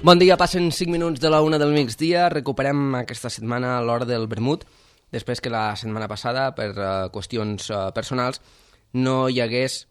Bon dia, passen 5 minuts de la 1 del migdia. Recuperem aquesta setmana l'hora del vermut, després que la setmana passada, per qüestions personals, no hi hagués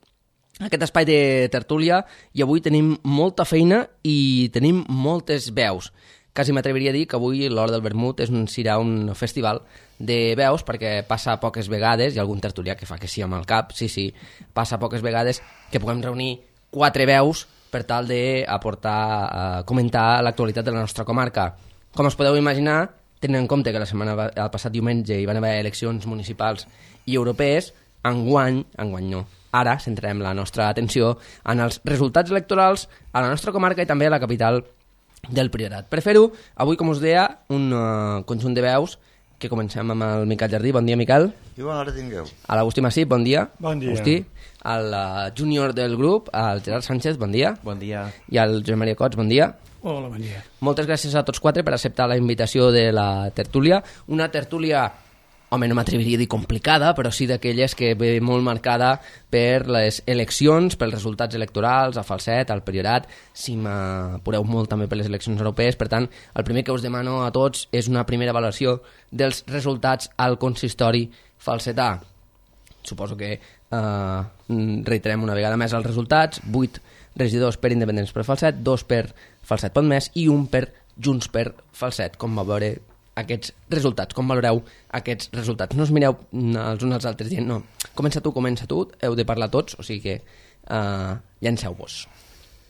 aquest espai de tertúlia, i avui tenim molta feina i tenim moltes veus. Quasi m'atreviria a dir que avui l'hora del vermut serà un festival de veus, perquè passa poques vegades, hi ha algun tertulià que fa que sí amb el cap, sí, passa poques vegades que puguem reunir 4 veus per tal d'aportar, comentar l'actualitat de la nostra comarca. Com us podeu imaginar, tenint en compte que el passat diumenge hi van haver eleccions municipals i europees, enguany no. Ara centrarem la nostra atenció en els resultats electorals a la nostra comarca i també a la capital del Priorat. Per fer-ho, avui, com us deia, un conjunt de veus, que comencem amb el Miquel Jardí. Bon dia, Miquel. I bona hora tingueu. A l'Agustí Massip, bon dia. Bon dia. Agustí. Al júnior del grup, al Gerard Sánchez, bon dia. Bon dia. I al Joan Maria Cots, bon dia. Hola, bon dia. Moltes gràcies a tots 4 per acceptar la invitació de la tertúlia. Una tertúlia, home, no m'atreviria a dir complicada, però sí d'aquelles que ve molt marcada per les eleccions, pels resultats electorals, a Falset, al Priorat, si m'apureu molt també per les eleccions europees. Per tant, el primer que us demano a tots és una primera valoració dels resultats al consistori falsetà. Suposo que reiterem una vegada més els resultats: 8 regidors per Independents per Falset, 2 per Falset Pot Més i 1 per Junts per Falset. Com va veure aquests resultats? Com valoreu aquests resultats? No us mireu els uns als altres dient no, comença tu, heu de parlar tots, o sigui que llanceu-vos.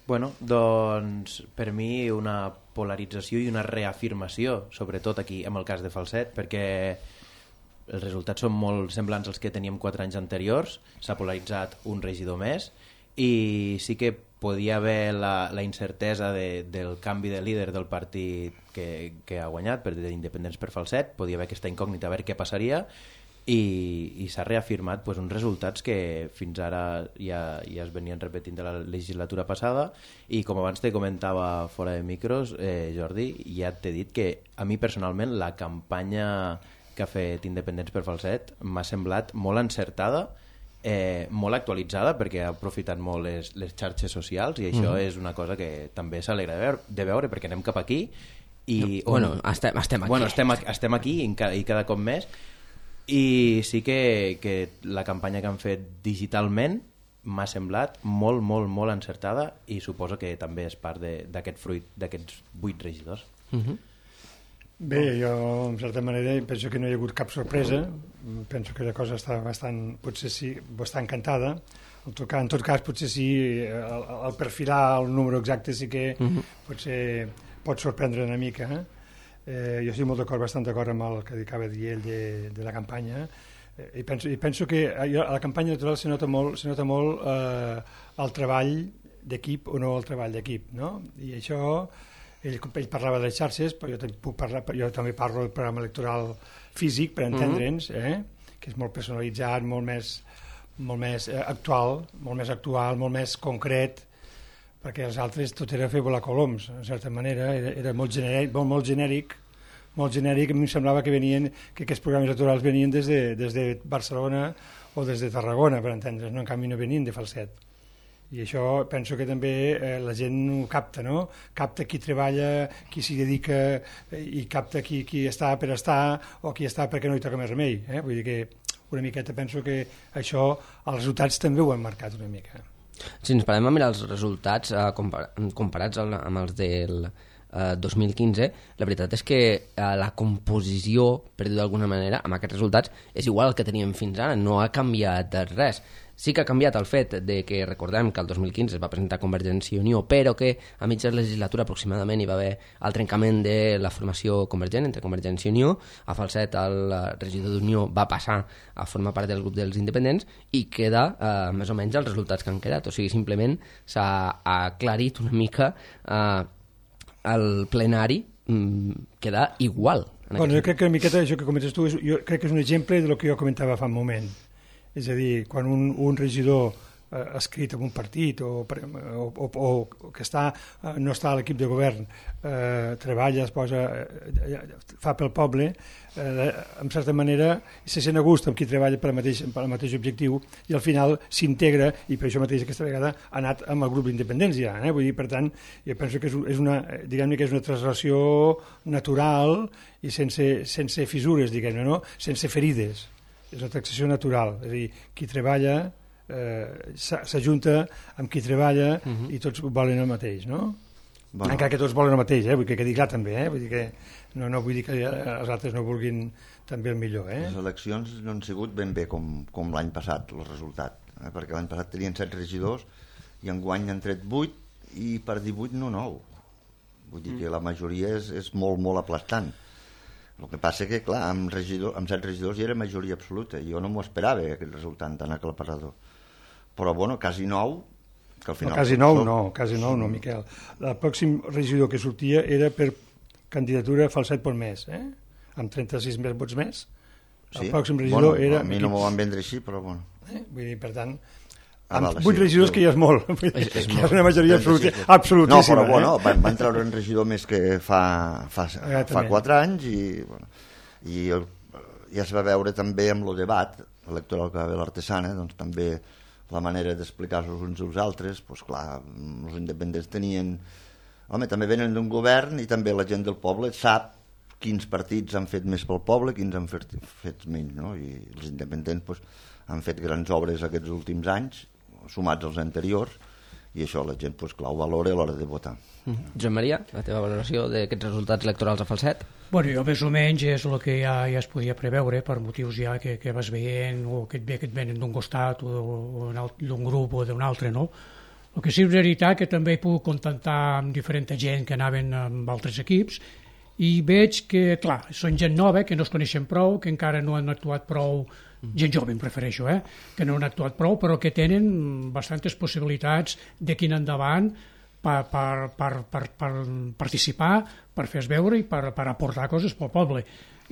Bueno, doncs per mi una polarització i una reafirmació, sobretot aquí en el cas de Falset, perquè els resultats són molt semblants als que teníem 4 anys anteriors. S'ha polaritzat un regidor més i sí que podia haver la incertesa del canvi de líder del partit que ha guanyat, d'Independents per Falset. Podia haver aquesta incògnita a veure què passaria i s'ha reafirmat uns resultats que fins ara ja es venien repetint de la legislatura passada. I com abans te comentava fora de micros, Jordi, ja t'he dit que a mi personalment la campanya que ha fet Independents per Falset m'ha semblat molt encertada, molt actualitzada, perquè ha aprofitat molt les xarxes socials, i això és una cosa que també s'alegra de veure, perquè anem cap aquí i estem aquí. Estem aquí i cada cop més, i sí que la campanya que han fet digitalment m'ha semblat molt, molt, molt encertada, i suposo que també és part d'aquest fruit d'aquests 8 regidors. Bé, jo en certa manera penso que no hi ha hagut cap sorpresa. Penso que la cosa està bastant cantada. En tot cas, potser sí, el perfilar el número exacte sí que potser pot sorprendre una mica. Jo estic bastant d'acord amb el que acaba de dir ell de la campanya, i penso que a la campanya electoral se nota molt el treball d'equip o no el treball d'equip, no? I això, ell parlava de les xarxes, però jo també parlo del programa electoral físic, per entendre'ns, que és molt personalitzat, molt més actual, molt més concret, perquè els altres tot era fer volar coloms, en certa manera, era molt genèric, a mi em semblava que aquests programes electorals venien des de Barcelona o des de Tarragona, per entendre's, no? En canvi no venien de Falset. I això penso que també la gent ho capta, no? Capta qui treballa, qui s'hi dedica, i capta qui està per estar o qui està perquè no hi toca més remei. Vull dir que una miqueta penso que això, els resultats també ho han marcat una mica. Si ens parem a mirar els resultats comparats amb els del 2015, la veritat és que la composició, per dir d'alguna manera, amb aquests resultats és igual al que teníem fins ara, no ha canviat res. Sí que ha canviat el fet de que recordem que el 2015 es va presentar Convergència i Unió, però que a mitja legislatura aproximadament hi va haver el trencament de la formació convergent entre Convergència i Unió. A Falset el regidor d'Unió va passar a formar part del grup dels independents i queda més o menys els resultats que han quedat. O sigui, simplement s'ha aclarit una mica el plenari, queda igual. Bueno, jo crec que una miqueta això que comentes tu jo crec que és un exemple del que jo comentava fa un moment. És a dir, quan un regidor escrit en un partit o que no està a l'equip de govern, treballa, es posa, fa pel poble, en certa manera se sent a gust amb qui treballa per al mateix objectiu i al final s'integra, i per això mateix aquesta vegada ha anat amb el grup d'independència. Vull dir, per tant, jo penso que és una translació natural i sense fissures, diguem-ne, no? Sense ferides. És una taxació natural, és a dir, qui treballa s'ajunta amb qui treballa i tots volen el mateix, no? Bueno. Encara que tots volen el mateix, vull que quedi clar també, vull dir que no vull dir que els altres no vulguin també el millor. Les eleccions no han sigut ben bé com l'any passat, el resultat, perquè l'any passat tenien 7 regidors i enguany han tret 8 i per 18 no 9. Vull dir que la majoria és molt, molt aplastant. El que passa que, clar, amb 7 regidors hi era majoria absoluta. Jo no m'ho esperava, aquest resultat tan aclaparador. Però, bueno, quasi 9, que al final... Quasi 9 no, Miquel. El pròxim regidor que sortia era per candidatura Falset pel mes, amb 36 vots més. El pròxim regidor era... A mi no m'ho van vendre així, però bueno. Vull dir, per tant... Amb 8 regidors que ja és molt. És una majoria absolutíssima. No, però bueno, van treure un regidor més que fa 4 anys i ja es va veure també amb el debat electoral que va haver l'Artesana, doncs també la manera d'explicar-los uns als altres, doncs clar, els independents tenien... Home, també venen d'un govern i també la gent del poble sap quins partits han fet més pel poble, quins han fet menys, no? I els independents doncs, han fet grans obres aquests últims anys, sumats als anteriors, i això la gent, doncs, clar, ho valora a l'hora de votar. Joan Maria, la teva valoració d'aquests resultats electorals a Falset? Bueno, jo més o menys és el que ja es podia preveure per motius ja que vas veient o que et venen d'un costat o d'un grup o d'un altre, no? El que sí és veritat que també he pogut contactar amb diferent gent que anaven amb altres equips i veig que, clar, són gent nova, que no es coneixen prou, que encara no han actuat prou, gent jove em prefereixo, que no han actuat prou, però que tenen bastantes possibilitats de quin endavant per participar, per fer-se veure i per aportar coses pel poble.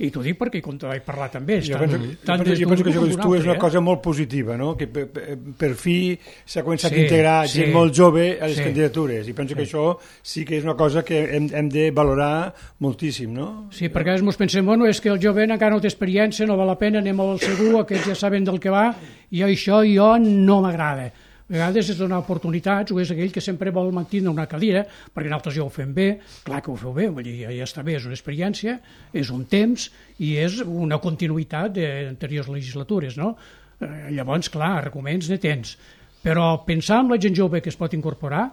I t'ho dic perquè quan vaig parlar també... Jo penso que tu és una cosa molt positiva, no? Que per fi s'ha començat a integrar gent molt jove a les candidatures, i penso que això sí que és una cosa que hem de valorar moltíssim, no? Sí, perquè ens pensem, bueno, és que el jove encara no té experiència, no val la pena, anem al segur, aquests ja saben del que va, i això jo no m'agrada. A vegades és donar oportunitats, o és aquell que sempre vol mantenir una cadira, perquè nosaltres ja ho fem bé, clar que ho feu bé, vull dir, ja està bé, és una experiència, és un temps i és una continuïtat d'anteriors legislatures, no? Llavors, clar, arguments ne tens. Però pensar en la gent jove que es pot incorporar,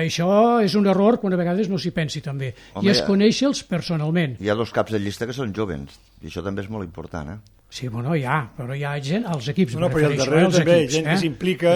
això és un error quan a vegades no s'hi pensi també. I és conèixer-los personalment. Hi ha 2 caps de llista que són jovens, i això també és molt important, Sí, bueno, però hi ha gent als equips. No, però al darrere també gent que s'implica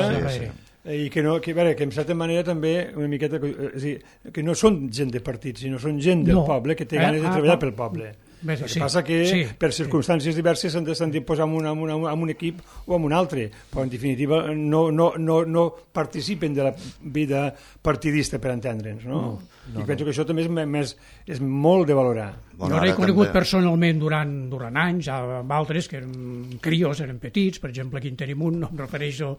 i que en certa manera també una miqueta, és a dir, que no són gent de partit, sinó són gent del poble que té ganes de treballar pel poble. El que passa que per circumstàncies diverses s'han de posar en un equip o en un altre, però en definitiva no participen de la vida partidista, per entendre'ns, no? I penso que això també és molt de valorar. Jo l'he conegut personalment durant anys, amb altres que eren crios, eren petits, per exemple aquí en tenim un, no em refereixo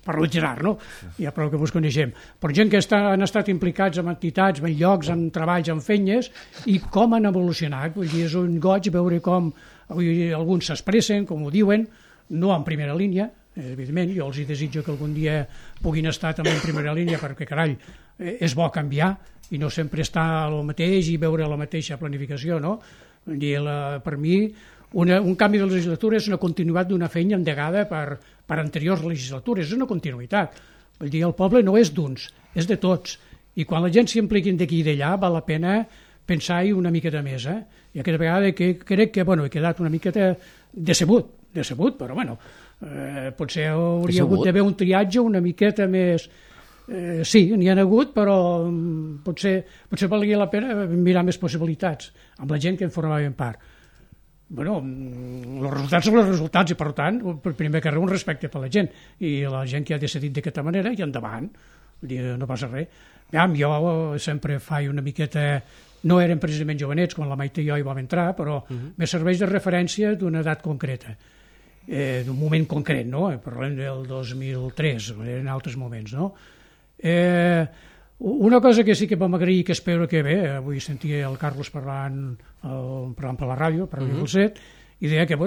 parlo en general, no? Ja prou que vos coneixem, però gent que han estat implicats en entitats, en llocs, en treballs, en feines, i com han evolucionat. Vull dir, és un goig veure com alguns s'expressen, com ho diuen, no en primera línia, evidentment, jo els desitjo que algun dia puguin estar també en primera línia, perquè carai, és bo canviar i no sempre estar al mateix i veure la mateixa planificació, no? Vull dir, per mi un canvi de legislatura és una continuïtat d'una feina endegada per anteriors legislatures, és una continuïtat. Vull dir, el poble no és d'uns, és de tots, i quan la gent s'impliqui d'aquí i d'allà val la pena pensar-hi una miqueta més, I aquesta vegada crec que he quedat una miqueta decebut, però potser hauria hagut d'haver un triatge una miqueta més... Sí, n'hi ha hagut, però potser valia la pena mirar més possibilitats amb la gent que en formaven part. Els resultats són els resultats i, per tant, primer que res, un respecte per la gent i la gent que ha decidit d'aquesta manera i endavant, no passa res. Jo sempre faig una miqueta... No eren precisament jovenets quan la Maite i jo hi vam entrar, però me serveix de referència d'una edat concreta. d'un moment concret, no? Parlem del 2003, en altres moments, no? Una cosa que sí que vam agrair, que espero que bé, avui sentia el Carlos parlant per la ràdio, per Radio Falset, i deia que,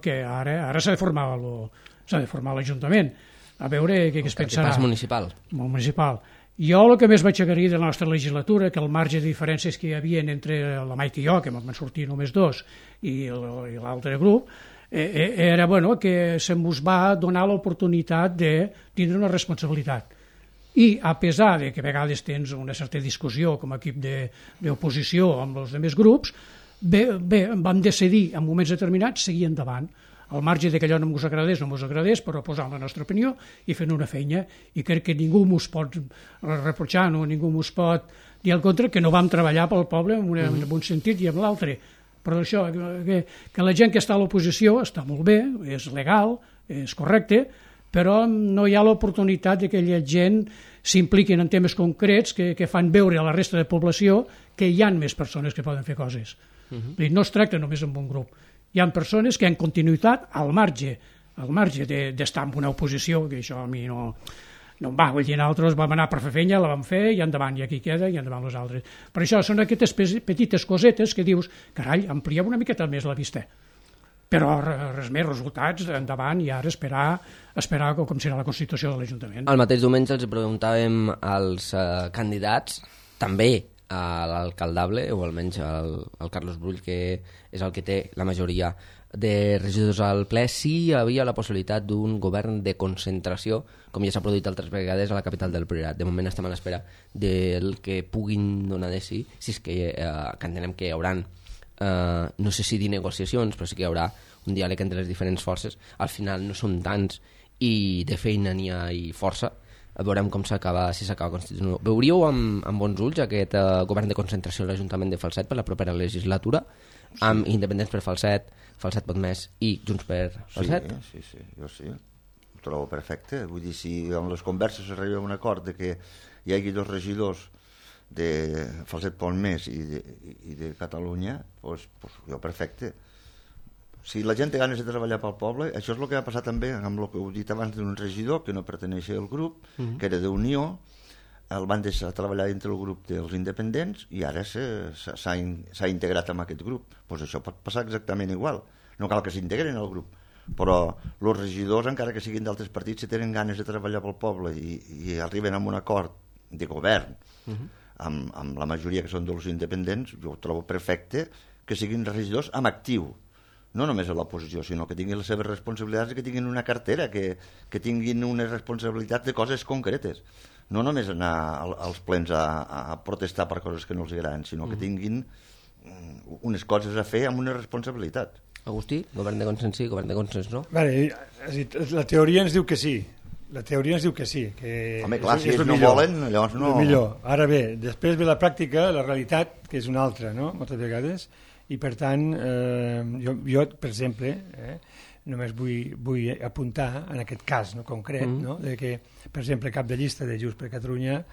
que ara s'ha de formar l'Ajuntament, a veure què es pensarà. El municipal. Municipal. Jo el que més vaig agrair de la nostra legislatura, que el marge de diferències que hi havia entre la Maite i jo, que van sortir només dos, i l'altre grup, era que se'ns va donar l'oportunitat de tindre una responsabilitat. I a pesar de que a vegades tens una certa discussió com a equip d'oposició amb els altres grups, vam decidir en moments determinats seguir endavant, al marge de que allò no ens agradés, però posant la nostra opinió i fent una feina, i crec que ningú ens pot reprochar, ningú ens pot dir al contra, que no vam treballar pel poble en un sentit i en l'altre. Però això, que la gent que està a l'oposició està molt bé, és legal, és correcte, però no hi ha l'oportunitat que aquella gent s'impliquin en temes concrets que fan veure a la resta de població que hi ha més persones que poden fer coses. No es tracta només amb un grup. Hi ha persones que han continuïtat al marge d'estar en una oposició, que això a mi no em va. Vull dir, nosaltres vam anar per fer feina, la vam fer, i endavant, i aquí queda, i endavant els altres. Per això són aquestes petites cosetes que dius, carai, ampliem una miqueta més la vista. Però res més, resultats, endavant, i ara esperar com serà la Constitució de l'Ajuntament. El mateix diumenge els preguntàvem als candidats, també a l'alcaldable, o almenys al Carlos Brull, que és el que té la majoria de regidors al ple, si hi havia la possibilitat d'un govern de concentració, com ja s'ha produït altres vegades a la capital del Priorat. De moment estem a l'espera del que puguin donar de si és que entenem que hi haurà, no sé si dir negociacions, però sí que hi haurà un diàleg entre les diferents forces. Al final no són tants i de feina n'hi ha i força. Veurem com s'acaba, si s'acaba constituint. Veuríeu amb bons ulls aquest govern de concentració a l'Ajuntament de Falset per la propera legislatura, amb independents per Falset, Falset pot més i Junts per Falset? Sí, jo sí. Ho trobo perfecte. Vull dir, si en les converses s'arriba a un acord de que hi hagi dos regidors de Falset pot més i de Catalunya, doncs jo perfecte. Si la gent té ganes de treballar pel poble, això és el que va passar també amb el que heu dit abans d'un regidor que no perteneixia al grup, que era d'Unió, el van deixar treballar dintre el grup dels independents i ara s'ha integrat amb aquest grup. Doncs això pot passar exactament igual. No cal que s'integren al grup, però els regidors, encara que siguin d'altres partits, si tenen ganes de treballar pel poble i arriben a un acord de govern amb la majoria que són dels independents, jo ho trobo perfecte que siguin regidors amb actiu, no només a l'oposició, sinó que tinguin les seves responsabilitats, que tinguin una cartera, que tinguin unes responsabilitats de coses concretes. No només anar als plens a protestar per coses que no els agraden, sinó que tinguin unes coses a fer amb una responsabilitat. Agustí, govern de consens sí, govern de consens no? Vale, la teoria ens diu que sí. La teoria ens diu que sí. Que home, clar, si ells no volen, llavors no... Millor. Ara bé, després ve la pràctica, la realitat, que és una altra, no?, moltes vegades, i per tant, jo per exemple, només vull apuntar en aquest cas concret, no?, de que, per exemple, cap de llista de Junts per Catalunya,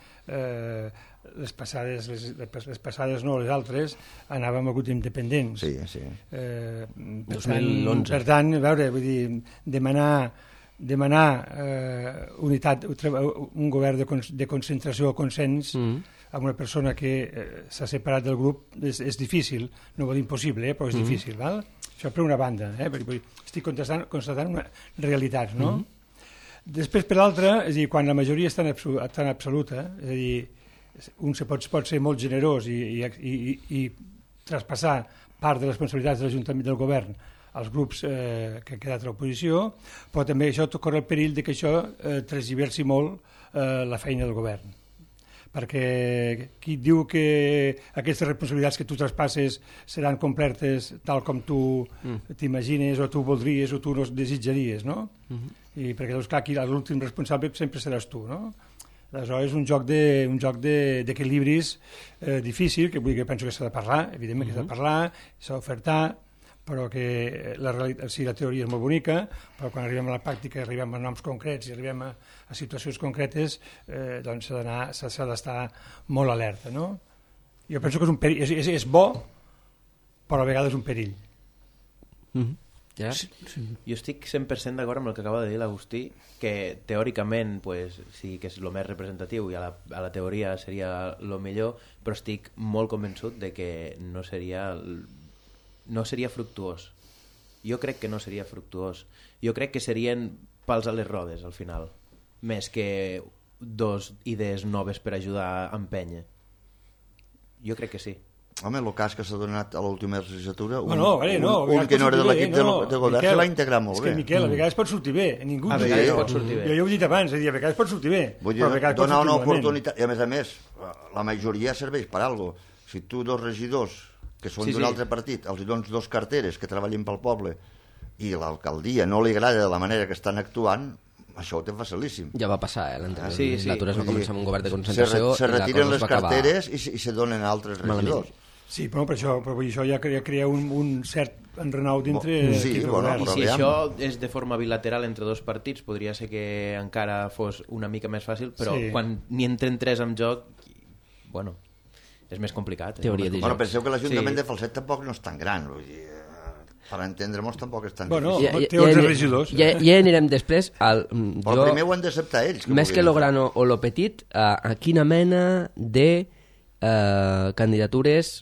les passades no, les altres, anàvem a grups independents. Sí. 2011. Per tant, a veure, vull dir, demanar unitat, un govern de concentració o consens amb una persona que s'ha separat del grup és difícil, no vol dir impossible, però és difícil, val? Això per una banda, perquè estic constatant una realitat, no? Després, per l'altra, és a dir, quan la majoria és tan absoluta, és a dir, un pot ser molt generós i traspassar part de les responsabilitats de l'Ajuntament del govern als grups que han quedat a l'oposició, però també això corre el perill que això transversi molt la feina del govern. Perquè qui diu que aquestes responsabilitats que tu traspasses seran complertes tal com tu t'imagines o tu voldries o tu no desitjaries, no? I perquè, doncs, clar, aquí l'últim responsable sempre seràs tu, no? Aleshores és un joc d'equilibris difícil, que penso que s'ha de parlar, evidentment que s'ha de parlar, s'ha d'ofertar, però que la teoria és molt bonica, però quan arribem a la pràctica, arribem a noms concrets i arribem a situacions concretes, doncs s'ha d'estar molt alerta, no? Jo penso que és un perill, és bo, però a vegades és un perill. Ja? Jo estic 100% d'acord amb el que acaba de dir l'Agustí, que teòricament pues, sí que és el més representatiu i a la teoria seria el millor, però estic molt convençut de que no seria fructuós. Jo crec que no seria fructuós. Jo crec que serien pals a les rodes al final, més que dos idees noves per ajudar a empènyer. Jo crec que sí. Home, el cas que s'ha donat a l'última legislatura, un que no era de l'equip de govern, se l'ha integrat molt bé. És que, Miquel, a vegades pot sortir bé. Ningú a vegades pot sortir bé. Jo ho he dit abans, a vegades pot sortir bé. Vull dir, donar una oportunitat, i a més, la majoria serveix per alguna cosa. Si tu dos regidors, que són d'un altre partit, els dones dos carteres que treballin pel poble, i l'alcaldia no li agrada de la manera que estan actuant, això ho té facilíssim. Ja va passar, l'anterior legislatura es va començar amb un govern de concentració se retiren les carteres i se donen a altres regidors. Sí, però això ja crea un cert enrenou dintre... Sí, I si això és de forma bilateral entre dos partits, podria ser que encara fos una mica més fàcil, però quan n'hi entren tres en joc, bueno, és més complicat. Bueno, penseu que l'Ajuntament de Falset tampoc no és tan gran, vull dir... Per entendre-nos tampoc és tan difícil. Té 11 regidors. Ja anirem després. Però primer ho han d'acceptar ells. Més que lo gran o lo petit, a quina mena de candidatures...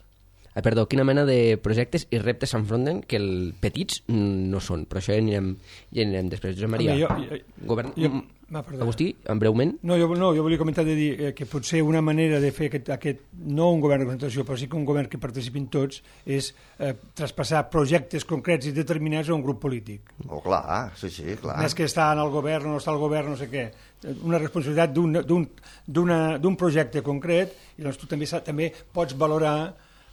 Perdó, quina mena de projectes i reptes s'enfronten que els petits no són, però això ja anirem després. Josep Maria, Agustí, en breument. No, jo volia comentar de dir que potser una manera de fer aquest no un govern de concentració, però sí que un govern que participin tots, és traspassar projectes concrets i determinats a un grup polític. Oh, clar, sí, clar. Més que estar en el govern o no està al govern, no sé què. Una responsabilitat d'un projecte concret, i doncs tu també pots valorar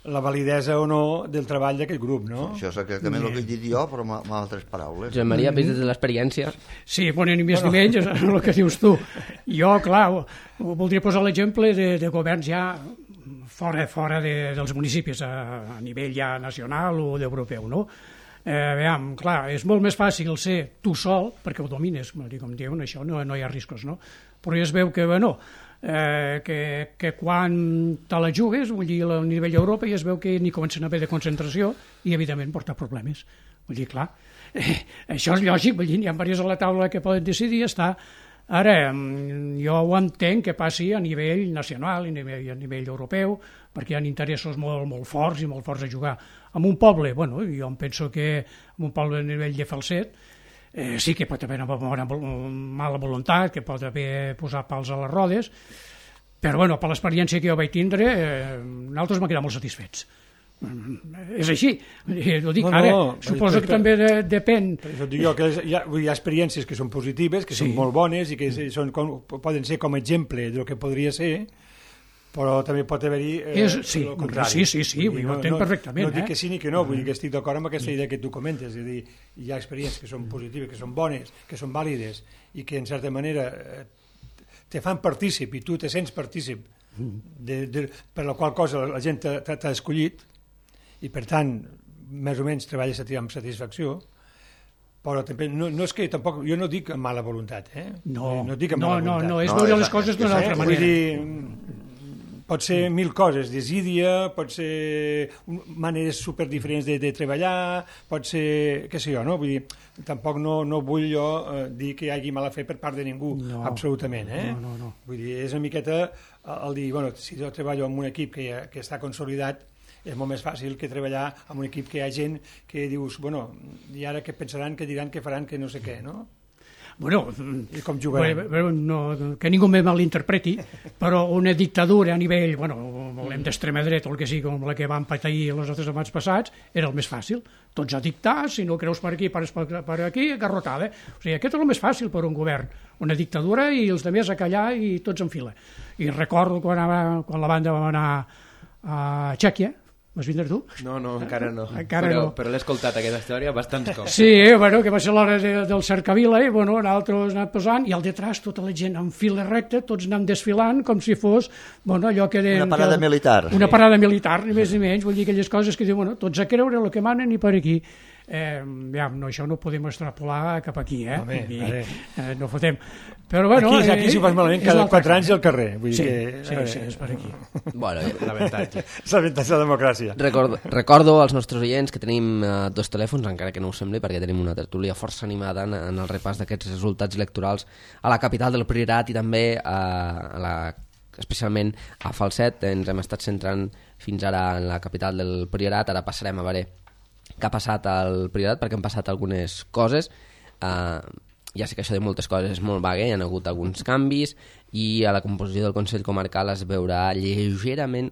la validesa o no del treball d'aquest grup, no? Això és exactament el que he dit jo, però amb altres paraules. Josep Maria, vist des de l'experiència... Sí, bueno, ni més ni menys, és el que dius tu. Jo, clar, voldria posar l'exemple de governs ja fora dels municipis, a nivell ja nacional o d'europeu, no? Veiem, clar, és molt més fàcil ser tu sol, perquè ho domines, com diuen, això no hi ha riscos, no? Però ja es veu que, bueno, que quan te la jugues, vull dir, a nivell d'Europa ja es veu que n'hi comencen a haver de concentració i, evidentment, porta problemes. Vull dir, clar, això és lògic, vull dir, hi ha diversos a la taula que poden decidir estar. Ara, jo ho entenc que passi a nivell nacional i a nivell europeu, perquè hi ha interessos molt forts i molt forts a jugar. En un poble, bueno, jo em penso que en un poble a nivell de Falset, sí que pot haver una mala voluntat, que pot haver posat pals a les rodes, però bueno, per l'experiència que jo vaig tindre, nosaltres m'han quedat molt satisfets. És així, ho dic ara, suposo que també depèn. Això dic jo, que hi ha experiències que són positives, que són molt bones i que poden ser com a exemple del que podria ser, però també pot haver-hi el contrari. Sí, ho entenc perfectament. No dic que sí ni que no, vull dir que estic d'acord amb aquesta idea que tu comentes, és a dir, hi ha experiències que són positives, que són bones, que són vàlides i que en certa manera te fan partícip i tu te sents partícip per la qual cosa la gent t'ha escollit i per tant més o menys treballes amb satisfacció, però també no és que tampoc, jo no dic amb mala voluntat, no dic amb mala voluntat. No, és veure les coses d'una altra manera. Vull dir, pot ser mil coses, desídia, pot ser maneres superdiferents de treballar, pot ser, què sé jo, no? Vull dir, tampoc no vull jo dir que hi hagi mala fe per part de ningú, absolutament, No. Vull dir, és una miqueta el dir, bueno, si jo treballo en un equip que està consolidat, és molt més fàcil que treballar en un equip que hi ha gent que dius, bueno, i ara què pensaran, què diran, què faran, que no sé què, no? Bueno, i com jugarem? Que ningú me malinterpreti, però una dictadura a nivell, volem d'extrema dreta o el que sigui, com la que van patir els altres abans passats, era el més fàcil. Tots a dictar, si no creus per aquí, per aquí, garrotada. O sigui, aquest és el més fàcil per un govern. Una dictadura i els altres a callar i tots en fila. I recordo quan la banda va anar a Txèquia. Vas vindre tu? No, encara no. Però l'he escoltat, aquesta història, bastants cops. Sí, que va ser l'hora del cercavila, i nosaltres anem posant, i al detrás tota la gent en fila recta, tots anem desfilant, com si fos, allò que... Una parada militar. Una parada militar, ni més ni menys, vull dir aquelles coses que diuen, tots a creure el que manen i per aquí. això no ho podem extrapolar cap aquí, Home, no fotem. Però bueno, aquí s'ho fas malament cada 4 anys al carrer. Vull sí, dir que, sí, és per aquí. Bueno, L'avantatge. és l'avantatge de la democràcia. recordo als nostres oients que tenim 2 telèfons, encara que no ho sembli, perquè tenim una tertúlia força animada en el repàs d'aquests resultats electorals a la capital del Priorat i també especialment a Falset. Ens hem estat centrant fins ara en la capital del Priorat, ara passarem a veure què ha passat al Priorat, perquè han passat algunes coses. Ja sé que això de moltes coses és molt vague, hi ha hagut alguns canvis i a la composició del Consell Comarcal es veurà lleugerament,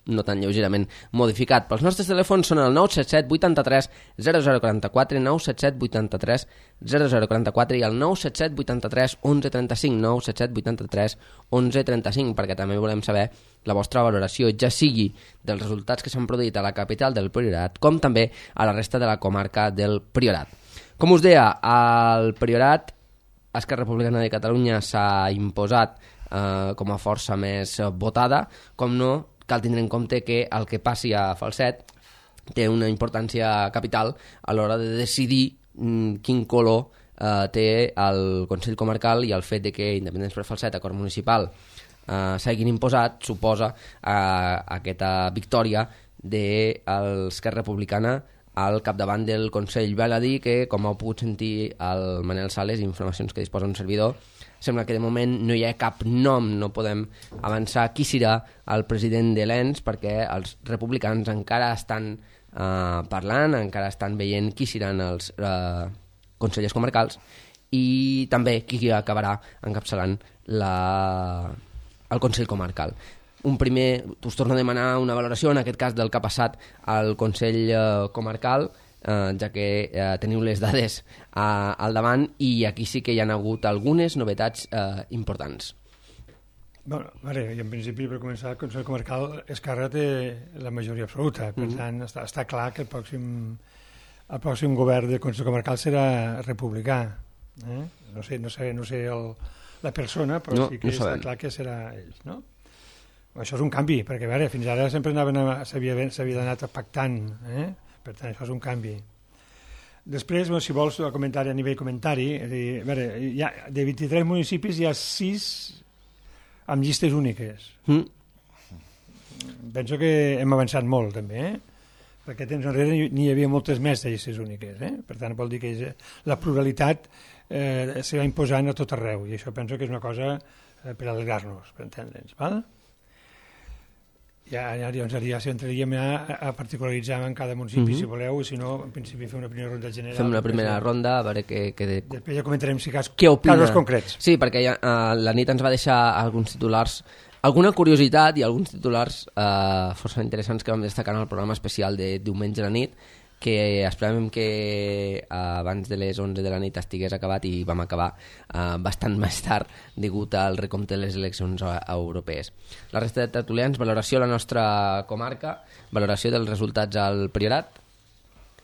no tan lleugerament, modificat. Però els nostres telèfons són el 977 83 0044, 977 83 0044 i el 977 83 1135, 977 83 1135, perquè també volem saber la vostra valoració, ja sigui dels resultats que s'han produït a la capital del Priorat, com també a la resta de la comarca del Priorat. Com us deia, al Priorat, Esquerra Republicana de Catalunya s'ha imposat com a força més votada. Com no, cal tindre en compte que el que passi a Falset té una importància capital a l'hora de decidir quin color té el Consell Comarcal, i el fet de que Independents per Falset, acord municipal, s'hagin imposat suposa aquesta victòria de l'Esquerra Republicana al capdavant del Consell. Val a dir que, com heu pogut sentir el Manel Sales, informacions que disposa un servidor, sembla que de moment no hi ha cap nom, no podem avançar qui serà el president de l'ENS, perquè els republicans encara estan parlant, encara estan veient qui seran els consellers comarcals i també qui acabarà encapçalant el Consell Comarcal. Un primer, us torno a demanar una valoració, en aquest cas del que ha passat al Consell Comarcal, ja que teniu les dades al davant, i aquí sí que hi ha hagut algunes novetats importants. Bueno, vale, i en principi, per començar, el Consell Comarcal Esquerra té la majoria absoluta, per tant, està clar que el pròxim govern del Consell Comarcal serà republicà. No sé la persona, però sí que està clar que serà ells, no? Això és un canvi, perquè a veure, fins ara sempre s'havia anat pactant, per tant això és un canvi. Després, si vols comentari a nivell comentari, a veure, de 23 municipis hi ha 6 amb llistes úniques. Penso que hem avançat molt també, perquè temps enrere n'hi havia moltes més de llistes úniques, per tant vol dir que la pluralitat s'ha imposant a tot arreu, i això penso que és una cosa per alegrar-nos, per entendre'ns, val? Ja entraríem a particularitzar en cada municipi, si voleu, i si no, en principi fer una primera ronda general. Fem una primera ronda, a veure què... Després ja comentarem si casos concrets. Sí, perquè la nit ens va deixar alguns titulars, alguna curiositat i alguns titulars força interessants que vam destacar en el programa especial de diumenge a la nit, que esperàvem que abans de les 11 de la nit estigués acabat, i vam acabar bastant més tard degut al recompte de les eleccions europees. La resta de tertulians, valoració a la nostra comarca, valoració dels resultats al Priorat.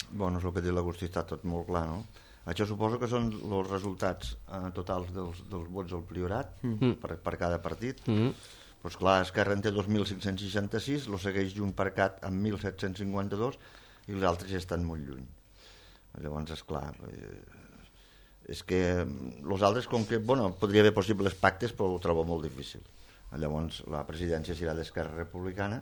Bueno, és el que diu l'Agustí, està tot molt clar, no? Això suposo que són els resultats totals dels vots al Priorat per cada partit. Doncs clar, Esquerra en té 2.566, lo segueix Junts.cat amb 1.752, i els altres ja estan molt lluny. Llavors, esclar, és que els altres, com que, bueno, podria haver possibles pactes, però ho trobo molt difícil. Llavors, la presidència serà d'Esquerra Republicana,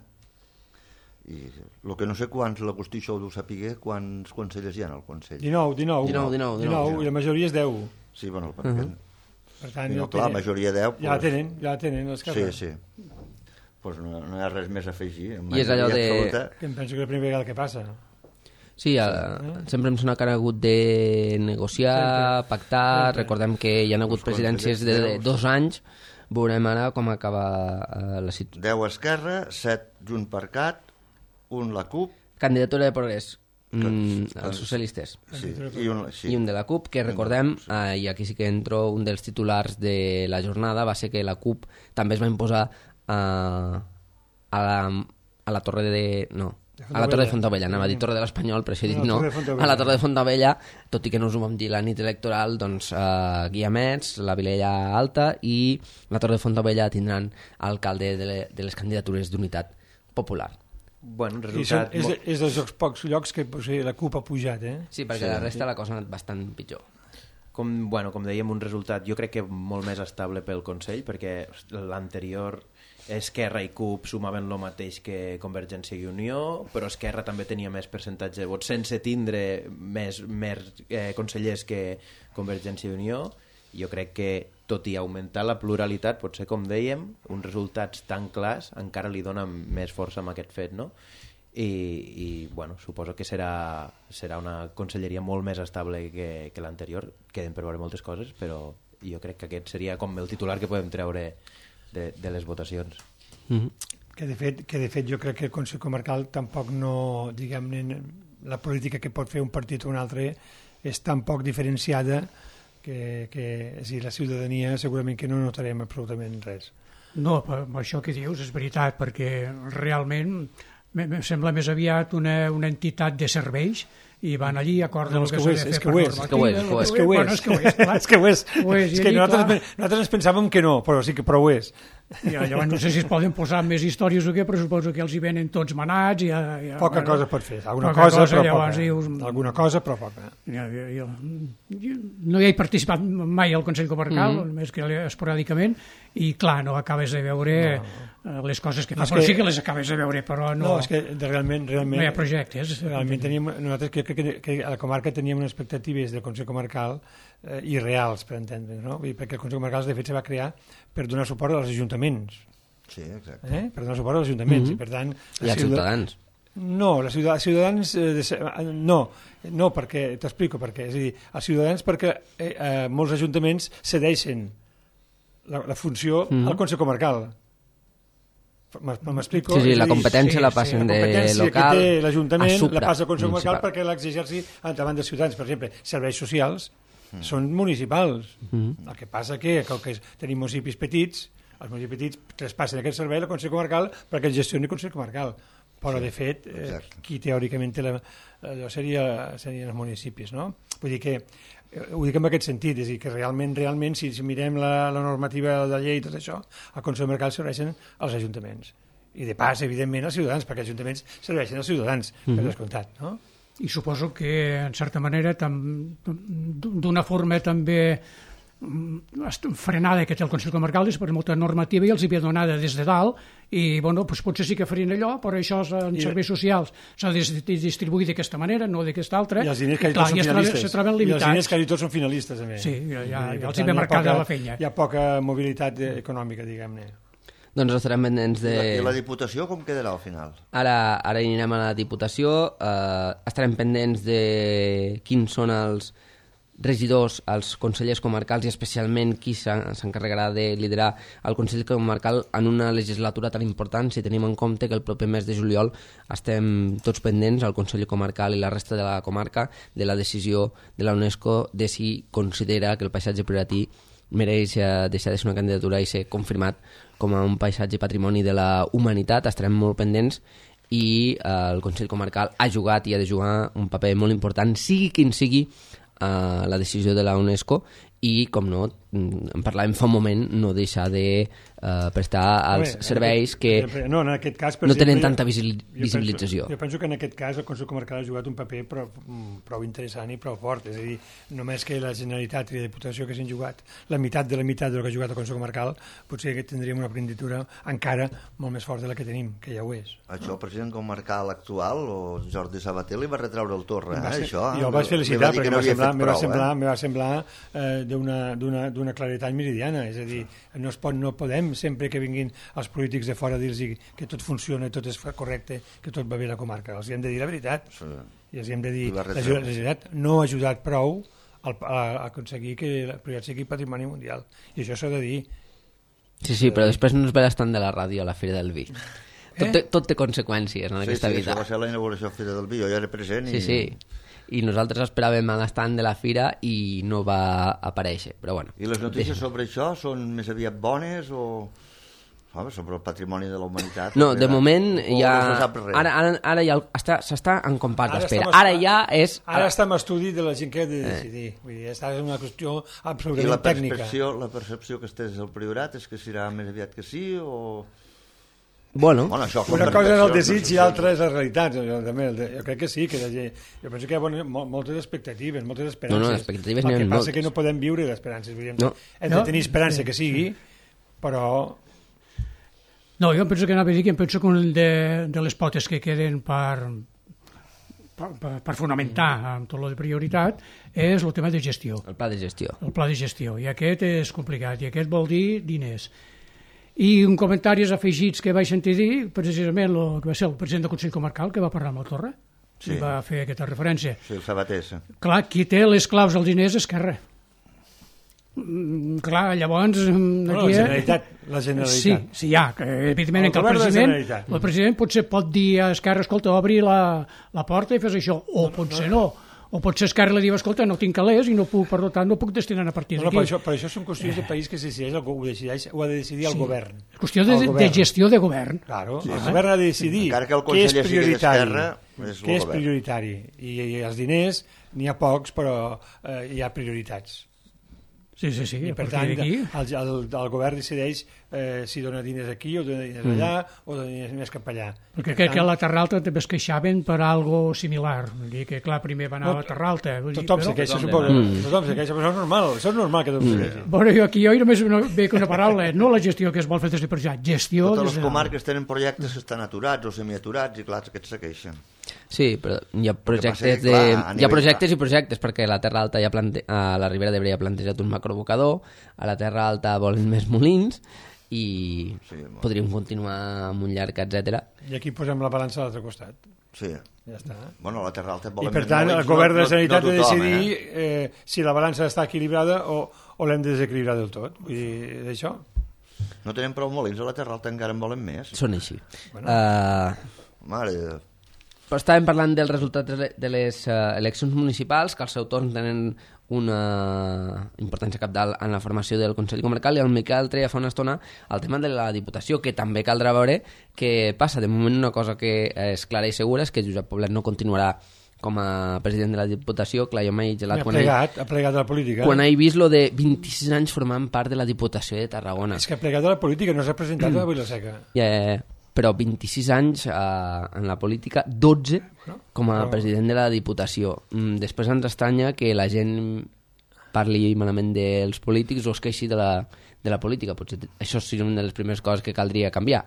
i el que no sé quants, l'Agustí això ho deu saber, quants consellers hi ha al Consell? 19, i la majoria és 10. Sí, bueno, perquè... Per tant, la majoria 10... Ja la tenen, l'Esquerra. Sí. Pues no hi ha res més a afegir. I és allò de... Que em penso que és la primera vegada que passa. Sí, sempre em sona que han hagut de negociar, pactar. Recordem que hi ha hagut presidències de 2 anys. Veurem ara com acaba la situació. 10 Esquerra, 7 Junts.cat, 1 la CUP. Candidatura de Progrés, els socialistes. Sí. I un de la CUP, que recordem, i aquí sí que entro, un dels titulars de la jornada va ser que la CUP també es va imposar a la Torre de... No, a la Torre de Fontaubella, anava a dir Torre de l'Espanyol, però això he dit no, a la Torre de Fontaubella, tot i que no us ho vam dir la nit electoral, doncs Guiamets, la Vilella Alta i la Torre de Fontaubella tindran alcalde de les candidatures d'Unitat Popular. Bueno, resultat... És dels pocs llocs que la CUP ha pujat, Sí, perquè la resta la cosa ha anat bastant pitjor. Com dèiem, un resultat jo crec que molt més estable pel Consell, perquè l'anterior Esquerra i CUP sumaven el mateix que Convergència i Unió, però Esquerra també tenia més percentatge de vots sense tindre més consellers que Convergència i Unió. Jo crec que, tot i augmentar la pluralitat, potser, com dèiem, uns resultats tan clars encara li donen més força amb aquest fet, no? I bueno, suposo que serà una conselleria molt més estable que l'anterior. Queden per veure moltes coses, però jo crec que aquest seria com el titular que podem treure de les votacions. Que de fet jo crec que el Consell Comarcal tampoc no, diguem-ne, la política que pot fer un partit o un altre és tan poc diferenciada que la ciutadania segurament que no notarem absolutament res. No, això que dius és veritat, perquè realment em sembla més aviat una entitat de serveis i van allí i acorden el que s'ha de fer per normativa. És que ho és. És que nosaltres ens pensàvem que no, però sí que ho és. Llavors no sé si es poden posar més històries o què, però suposo que els hi venen tots manats. Poca cosa pot fer, alguna cosa però poca. No hi he participat mai al Consell Comarcal, només que esporàdicament, i clar, no acabes de veure les coses que fa, però sí que les acabes de veure, però no... No, és que realment no hi ha projectes. Realment nosaltres crec que a la comarca teníem unes expectatives del Consell Comarcal irreals, per entendre, no? Perquè el Consell Comarcal de fet se va crear per donar suport als ajuntaments. Sí, exacte. Per donar suport als ajuntaments, i per tant... I als ciutadans. No, els ciutadans... No, perquè t'explico per què. És a dir, els ciutadans perquè molts ajuntaments cedeixen la funció al Consell Comarcal. M'explico? Sí, la competència la passen de local a Supra. La competència que té l'Ajuntament la passa al Consell Comarcal perquè l'exigeixi davant dels ciutadans. Per exemple, serveis socials són municipals. El que passa que tenim municipis petits, els municipis petits traspassen aquest servei al Consell Comarcal perquè el gestioni el Consell Comarcal. Però, de fet, qui teòricament té allò serien els municipis, no? Vull dir que ho dic en aquest sentit, és a dir, que realment, si mirem la normativa de la llei i tot això, al Consell Comarcal serveixen als ajuntaments. I de pas, evidentment, als ciutadans, perquè els ajuntaments serveixen als ciutadans, per descomptat, no? I suposo que, en certa manera, d'una forma també frenada que té el Consell Comarcal és per molta normativa i els havia donada des de dalt i bueno, doncs potser sí que farien allò, però això en serveis socials s'ha de distribuir d'aquesta manera, no d'aquesta altra, i els diners quasi tots són finalistes, se troben limitats. I els diners quasi tots són finalistes, a més. Sí, ja els hi ve marcada la feina. Hi ha poca mobilitat econòmica, diguem-ne. Doncs estarem pendents de... I la Diputació com quedarà al final? Ara anirem a la Diputació, estarem pendents de quins són els regidors, els consellers comarcals i especialment qui s'encarregarà de liderar el Consell Comarcal en una legislatura tan important, si tenim en compte que el proper mes de juliol estem tots pendents, el Consell Comarcal i la resta de la comarca, de la decisió de la UNESCO de si considera que el paisatge prioratí mereix deixar de ser una candidatura i ser confirmat com a un paisatge patrimoni de la humanitat. Estarem molt pendents i el Consell Comarcal ha jugat i ha de jugar un paper molt important, sigui quin sigui la decisió de la UNESCO i, com no, en parlàvem fa un moment, no deixar de prestar els serveis que no tenen tanta visibilització. Jo penso que en aquest cas el Consell Comarcal ha jugat un paper prou interessant i prou fort, és a dir, només que la Generalitat i la Diputació que s'han jugat la meitat del que ha jugat el Consell Comarcal, potser que tindríem una aprenditura encara molt més forta de la que tenim, que ja ho és. Això el president comarcal actual, o Jordi Sabater, li va retraure el torre, això. Jo el vaig felicitar perquè em va semblar d'una claretat meridiana, és a dir, no podem sempre que vinguin els polítics de fora a dir-los que tot funciona, tot és correcte, que tot va bé a la comarca. Els hem de dir la veritat. I els hem de dir la generalitat no ha ajudat prou a aconseguir que el projecte sigui patrimoni mundial. I això s'ha de dir. Sí, però després no es ve l'estant de la ràdio a la Fira del Vi. Tot té conseqüències en aquesta vida. Sí, això va ser la inauguració de la Fira del Vi, jo ja era present. Sí. I nosaltres esperàvem a l'estand de la fira i no va aparèixer, però bueno. I les notícies sobre això són més aviat bones o sobre el patrimoni de la humanitat? No, de moment ja... Ara ja s'està en compàs d'espera. Ara està en estudi de la gent que ha de decidir. Vull dir, està en una qüestió absolutament tècnica. I la percepció que estés al Priorat és que serà més aviat que sí o... Bueno, una cosa és el desig i l'altra és la realitat. Jo crec que sí, jo penso que hi ha moltes expectatives, moltes esperances. No, expectatives el n'hi ha que passa moltes. que no podem viure d'esperances. No. Hem de tenir esperança que sigui, però... No, jo penso que anava a dir que em penso que un de les potes que queden per fonamentar amb tot lo de prioritat és el tema de gestió. el pla de gestió. El pla de gestió, i aquest és complicat, i aquest vol dir diners. I un comentaris afegits que vaig sentir dir, precisament el que va ser el president del Consell Comarcal, que va parlar amb la Torre, i va fer aquesta referència. Sí, el Sabater. Clar, qui té les claus dels diners és Esquerra. Clar, llavors... La Generalitat. Sí, ja. Evidentment, el president potser pot dir a Esquerra, escolta, obri la porta i fes això, o potser no. O potser Esquerra li diu, escolta, no tinc calés i no puc, per tant, no puc destinar a partir d'aquí. Per això són qüestions de país que ho ha de decidir el govern. És qüestió de gestió de govern. Claro, el govern ha de decidir què és prioritari. I els diners, n'hi ha pocs, però hi ha prioritats. Sí. I per tant, el govern decideix si dona diners aquí o dona diners allà o dona diners més cap allà. Perquè crec que a la Terra Alta també es queixaven per algo similar. Vull dir que, clar, primer va anar a la Terra Alta. Tothom se queixa, suposo. Tothom se queixa, però això és normal que tothom se queixi. Bueno, jo només veig una paraula, no la gestió que es vol fer des de per allà, gestió... Totes les comarques tenen projectes que estan aturats o semiaturats i, clar, aquests se queixen. Sí, però hi ha projectes, hi ha projectes i projectes, perquè a la Terra Alta a la Ribera d'Ebre ja ha plantejat un macroabocador, a la Terra Alta volen més molins i podríem continuar amb un llarg, etc. I aquí posem la balança a l'altre costat. Sí. Ja està. Bueno, a la Terra Alta volen I per tant, el govern de la Generalitat ha de decidir si la balança està equilibrada o l'hem de desequilibrar del tot. Vull dir, d'això. No tenen prou molins, a la Terra Alta encara en volen més. Són així. Mare de... Però estàvem parlant dels resultats de les eleccions municipals, que al seu torn tenen una importància cabdal en la formació del Consell Comarcal, i el Miquel treia fa una estona el tema de la Diputació, que també caldrà veure què passa. De moment una cosa que és clara i segura és que Josep Poblet no continuarà com a president de la Diputació. Clar, jo m'he gelat ha plegat de la política. Quan he vist lo de 26 anys formant part de la Diputació de Tarragona. És que ha plegat de la política, no s'ha presentat a Vila-seca. Però 26 anys en la política, 12 com a president de la Diputació. Després ens estranya que la gent parli malament dels polítics o es queixi de la política. Potser això seria una de les primeres coses que caldria canviar,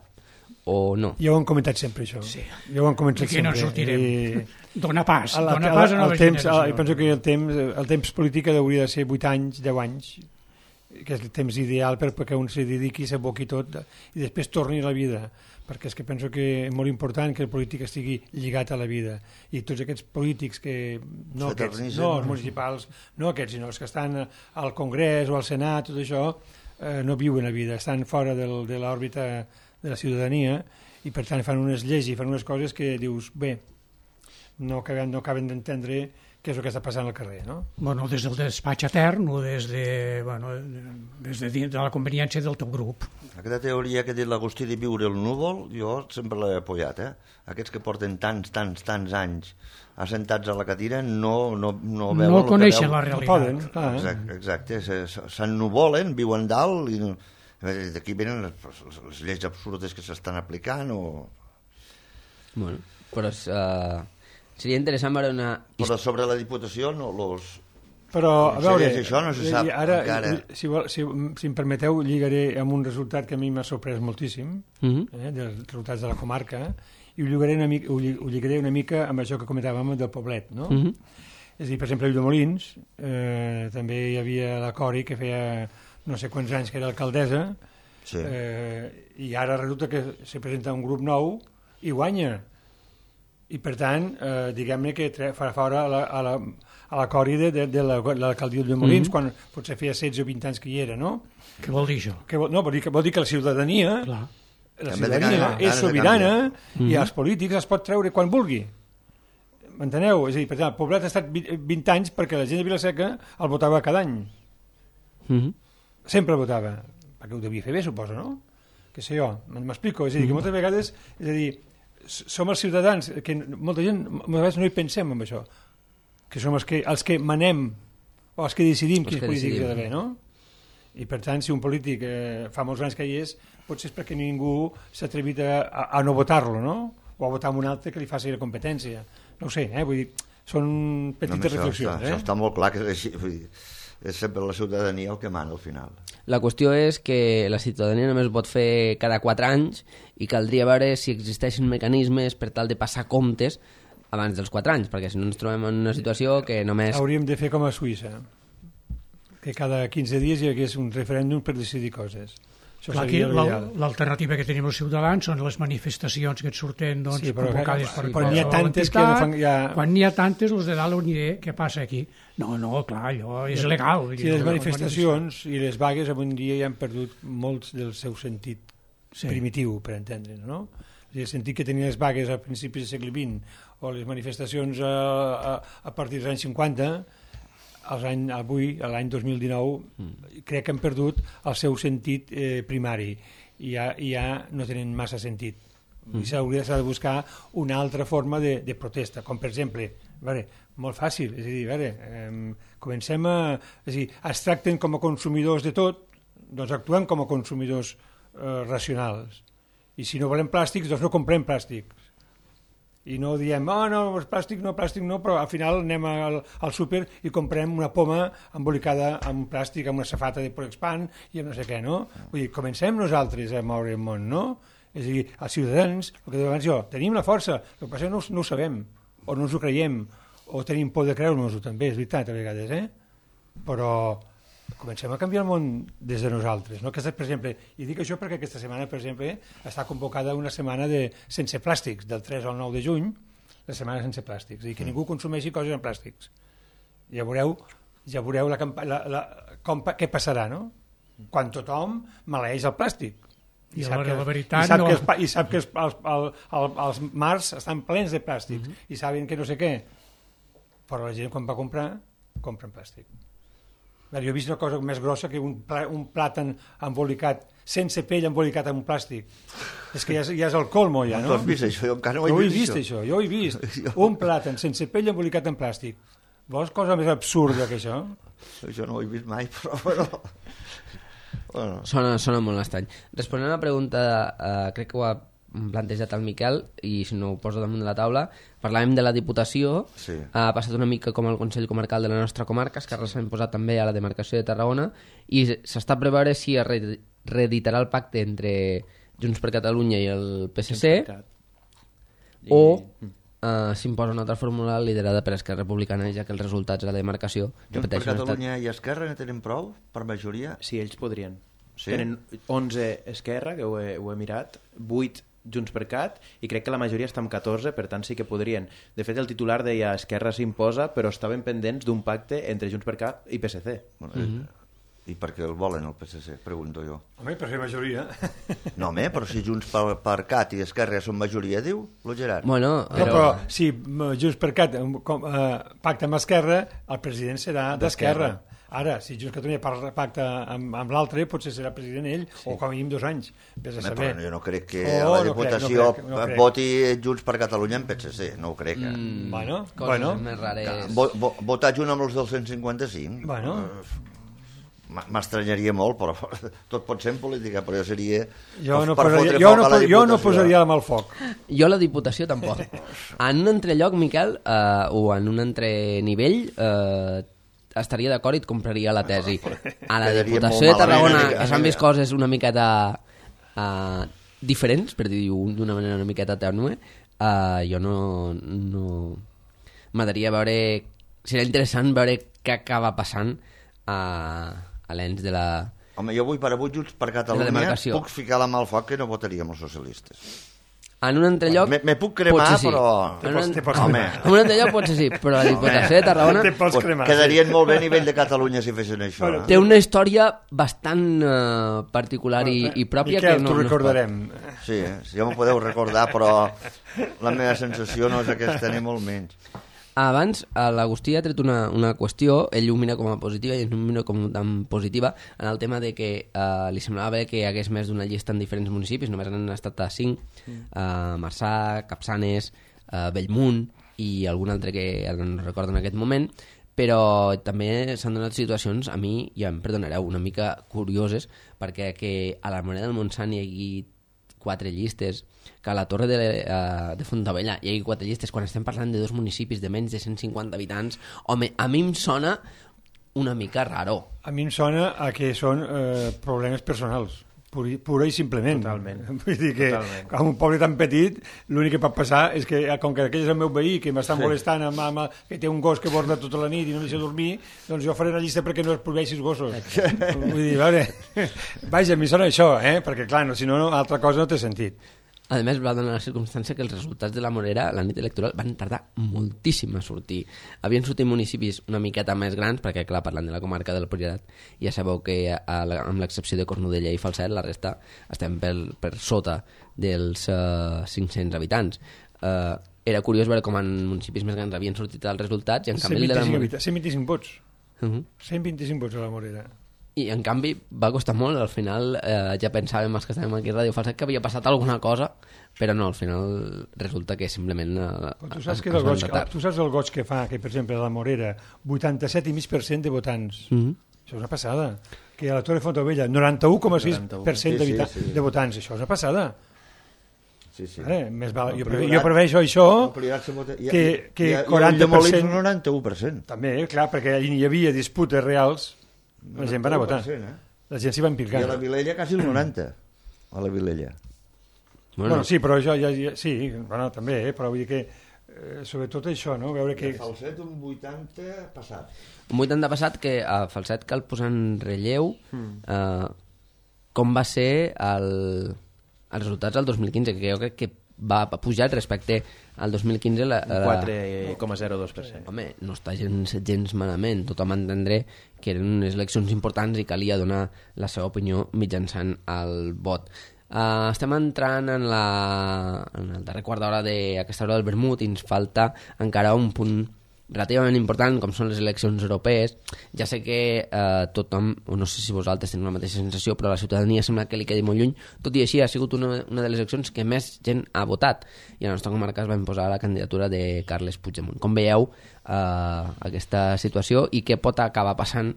o no? Ja ho hem comentat sempre, això. Sí. Ja ho hem comentat sempre. Aquí no en sortirem. Dóna pas a noves generacions. Jo penso que el temps polític hauria de ser 8 anys, 10 anys, que és el temps ideal perquè un s'hi dediqui, s'aboqui tot i després torni a la vida, perquè és que penso que és molt important que el polític estigui lligat a la vida, i tots aquests polítics que no aquests, no els municipals, no aquests, sinó els que estan al Congrés o al Senat, tot això no viuen la vida, estan fora de l'òrbita de la ciutadania, i per tant fan unes lleis i fan unes coses que dius, bé, no acaben d'entendre què és el que està passant al carrer, no? Bueno, des del despatx etern o des de la conveniència del teu grup. Aquesta teoria que ha dit l'Agustí de viure el núvol, jo sempre l'he apoyat, Aquests que porten tants anys assentats a la cadira no veuen... No coneixen la realitat. No poden, Exacte, s'ennuvolen, viuen dalt, i d'aquí venen les lleis absurdes que s'estan aplicant o... Bueno, però seria interessant veure una... Però sobre la Diputació no Però, a veure, això no se sap encara. Si em permeteu, lligaré amb un resultat que a mi m'ha sorprès moltíssim, dels resultats de la comarca, i ho lligaré una mica amb això que comentàvem del Poblet, no? És a dir, per exemple, a Ulldemolins també hi havia la Cori, que feia no sé quants anys que era alcaldessa, i ara resulta que se presenta un grup nou i guanya. I per tant, diguem-ne que farà fora a la Cori de l'alcaldia de Molins, quan potser feia 16 o 20 anys que hi era, no? Què vol dir això? Vol dir que la ciutadania és sobirana i els polítics es pot treure quan vulgui. M'enteneu? És a dir, per tant, el Poblet ha estat 20 anys perquè la gent de Vila-seca el votava cada any. Sempre el votava. Perquè ho devia fer bé, suposo, no? Què sé jo, m'explico. És a dir, que moltes vegades... És a dir, som els ciutadans, que molta gent moltes vegades no hi pensem en això, que som els que manem o els que decidim quins polítics hi ha d'haver, no? I per tant, si un polític fa molts anys que hi és, potser és perquè ningú s'ha atrevit a no votar-lo, no? O a votar amb un altre que li faci la competència. No ho sé, vull dir, són petites reflexions. Això està molt clar que és així, vull dir, és sempre la ciutadania el que mana al final. La qüestió és que la ciutadania només pot fer cada 4 anys i caldria veure si existeixen mecanismes per tal de passar comptes abans dels 4 anys, perquè si no ens trobem en una situació que només... Hauríem de fer com a Suïssa, que cada 15 dies hi hagués un referèndum per decidir coses. Clar, aquí l'alternativa que tenim els ciutadans són les manifestacions que et surten convocades per qualsevol entitat. Quan n'hi ha tantes, els de dalt ni idea què passa aquí. No, clar, allò és legal. Sí, les manifestacions i les vagues avui en dia ja han perdut molts del seu sentit primitiu, per entendre'n, no? El sentit que tenien les vagues a principis del segle XX o les manifestacions a partir dels anys 50, avui, l'any 2019, crec que han perdut el seu sentit primari i ja no tenen massa sentit. S'ha de buscar una altra forma de protesta, com per exemple, molt fàcil, és a dir, comencem es tracten com a consumidors de tot, doncs actuem com a consumidors racionals. I si no volem plàstics, doncs no comprem plàstics. I no diem, no, plàstic no, però al final anem al súper i comprem una poma embolicada amb plàstic, amb una safata de Polexpan i amb no sé què, no? Vull dir, comencem nosaltres a moure el món, no? És a dir, els ciutadans, el que deia abans jo, tenim la força, el que passa no ho sabem, o no ens ho creiem, o tenim por de creure-nos-ho també, és veritat, a vegades, però comencem a canviar el món des de nosaltres, no? Aquesta, per exemple, i dic això perquè aquesta setmana, per exemple, està convocada una setmana sense plàstics, del 3 al 9 de juny, la setmana sense plàstics, i que ningú consumeixi coses en plàstics. Ja veureu què passarà, no? Quan tothom maleeix el plàstic. I sap que els mars estan plens de plàstic, i saben que no sé què, però la gent quan va comprar, compra en plàstic. Jo he vist una cosa més grossa que un plàtan embolicat, sense pell embolicat en un plàstic. És que ja és el colmo, ja, no? Tu has vist això? Jo encara no ho he vist, això. Jo ho he vist. Un plàtan sense pell embolicat en plàstic. Vols cosa més absurda que això? Això no ho he vist mai, però bueno... Sona molt estrany. Responent a la pregunta, crec que ho ha plantejat el Miquel, i si no ho poso damunt de la taula, parlàvem de la Diputació, ha passat una mica com el Consell Comarcal de la nostra comarca, Esquerra s'ha imposat també a la demarcació de Tarragona, i s'està per veure si es reeditarà el pacte entre Junts per Catalunya i el PSC, o s'imposa una altra fórmula liderada per Esquerra Republicana, ja que els resultats de la demarcació... Junts per Catalunya i Esquerra no tenen prou per majoria? Sí, ells podrien. Tenen 11 Esquerra, que ho he mirat, 8 Junts per Cat, i crec que la majoria està amb 14, per tant sí que podrien. De fet, el titular deia Esquerra s'imposa, però estaven pendents d'un pacte entre Junts per Cat i PSC. I per què el volen, el PSC? Pregunto jo. Home, per ser majoria. No, home, però si Junts per Cat i Esquerra són majoria, diu lo Gerard. Bueno, però si Junts per Cat pacta amb Esquerra, el president serà d'Esquerra. Ara, si Junts per Catalunya pacta amb l'altre, potser serà president ell, o com a mínim 2 anys. Vés a saber. Però jo no crec que la Diputació voti Junts per Catalunya en PSC, no ho crec. Coses més rares. Votar junt amb els del 155? Bueno... M'estranyaria molt, però tot pot ser en política, però jo seria... Jo no posaria la mà al foc. Jo la Diputació tampoc. En un entrelloc, Miquel, o en un entrenivell, estaria d'acord i et compraria la tesi. A la Diputació de Tarragona, que s'han vist coses una miqueta diferents, per dir-ho d'una manera una miqueta tènue, jo no... M'agradaria veure... Seria interessant veure què acaba passant a l'ens de la... Home, jo avui per avui Junts per Catalunya puc ficar la mà al foc que no votaríem els socialistes. En un entrelloc... Me puc cremar, sí. Però... Home. En un entrelloc potser sí, però la Diputació de Tarragona... Quedarien molt bé a nivell de Catalunya si fessin això. Té una història bastant particular i pròpia. Miquel, t'ho recordarem. Sí, ja m'ho podeu recordar, però la meva sensació no és aquesta, ni molt menys. Abans, l'Agustí ha tret una qüestió, ell ho mira com a positiva i ell ho mira com tan positiva, en el tema de que li semblava bé que hi hagués més d'una llista en diferents municipis, només han estat a 5, Marçà, Capçanes, Bellmunt i algun altre que ara no recordo en aquest moment, però també s'han donat situacions, a mi, ja em perdonareu, una mica curioses, perquè que a la Morera del Montsant hi hagi 4 llistes, que a la Torre de Fontabella hi hagi 4 llistes, quan estem parlant de 2 municipis de menys de 150 habitants, home, a mi em sona una mica raro. A mi em sona a que són problemes personals, pura i simplement. Totalment. Vull dir que Totalment. en un poble tan petit l'únic que pot passar és que, com que aquell és el meu veí que m'està molestant que té un gos que borda tota la nit i no deixa dormir, doncs jo faré una llista perquè no es prohibeixi els gossos. Vull dir, a veure, vaja, a mi sona això, perquè clar, si no, altra cosa no té sentit. A més, va donar la circumstància que els resultats de la Morera la nit electoral van tardar moltíssim a sortir. Havien sortit municipis una miqueta més grans, perquè, clar, parlant de la comarca del Priorat, ja sabeu que amb l'excepció de Cornudella i Falset, la resta estem per sota dels 500 habitants. Era curiós veure com en municipis més grans havien sortit els resultats i en canvi... 125 vots. 125 vots a la Morera. I en canvi va costar molt, al final ja pensàvem els que estàvem aquí a Ràdio Falset que havia passat alguna cosa, però no, al final resulta que simplement tu saps el goig que fa que, per exemple, a la Morera 87,5% de votants. Això és una passada. Que a la Torre de Fontabella 91,6% de votants. Això és una passada. Sí. Més val. Jo prevejo això que 40%... 91%. També, clar, perquè hi havia disputes reals. La gent va anar a votar. La gent s'hi va implicar. I a la Vilella quasi el 90%. A la Vilella. Bueno, sí, però això sí, bueno, també, però vull dir que sobretot això, no? Veure que... Falset un 80 passat. Un 80 passat que a Falset cal posar en relleu com va ser els resultats del 2015, que jo crec que va pujar respecte al 2015 4,02%. Home, no està gens malament. Tothom entendré que eren unes eleccions importants i calia donar la seva opinió mitjançant el vot. Estem entrant en el darrer quart d'hora d'aquesta hora del vermut i ens falta encara un punt relativament important, com són les eleccions europees. Ja sé que tothom, o no sé si vosaltres teniu la mateixa sensació, però la ciutadania sembla que li quedi molt lluny. Tot i així, ha sigut una de les eleccions que més gent ha votat, i a la nostra comarca es va imposar la candidatura de Carles Puigdemont. Com veieu aquesta situació i què pot acabar passant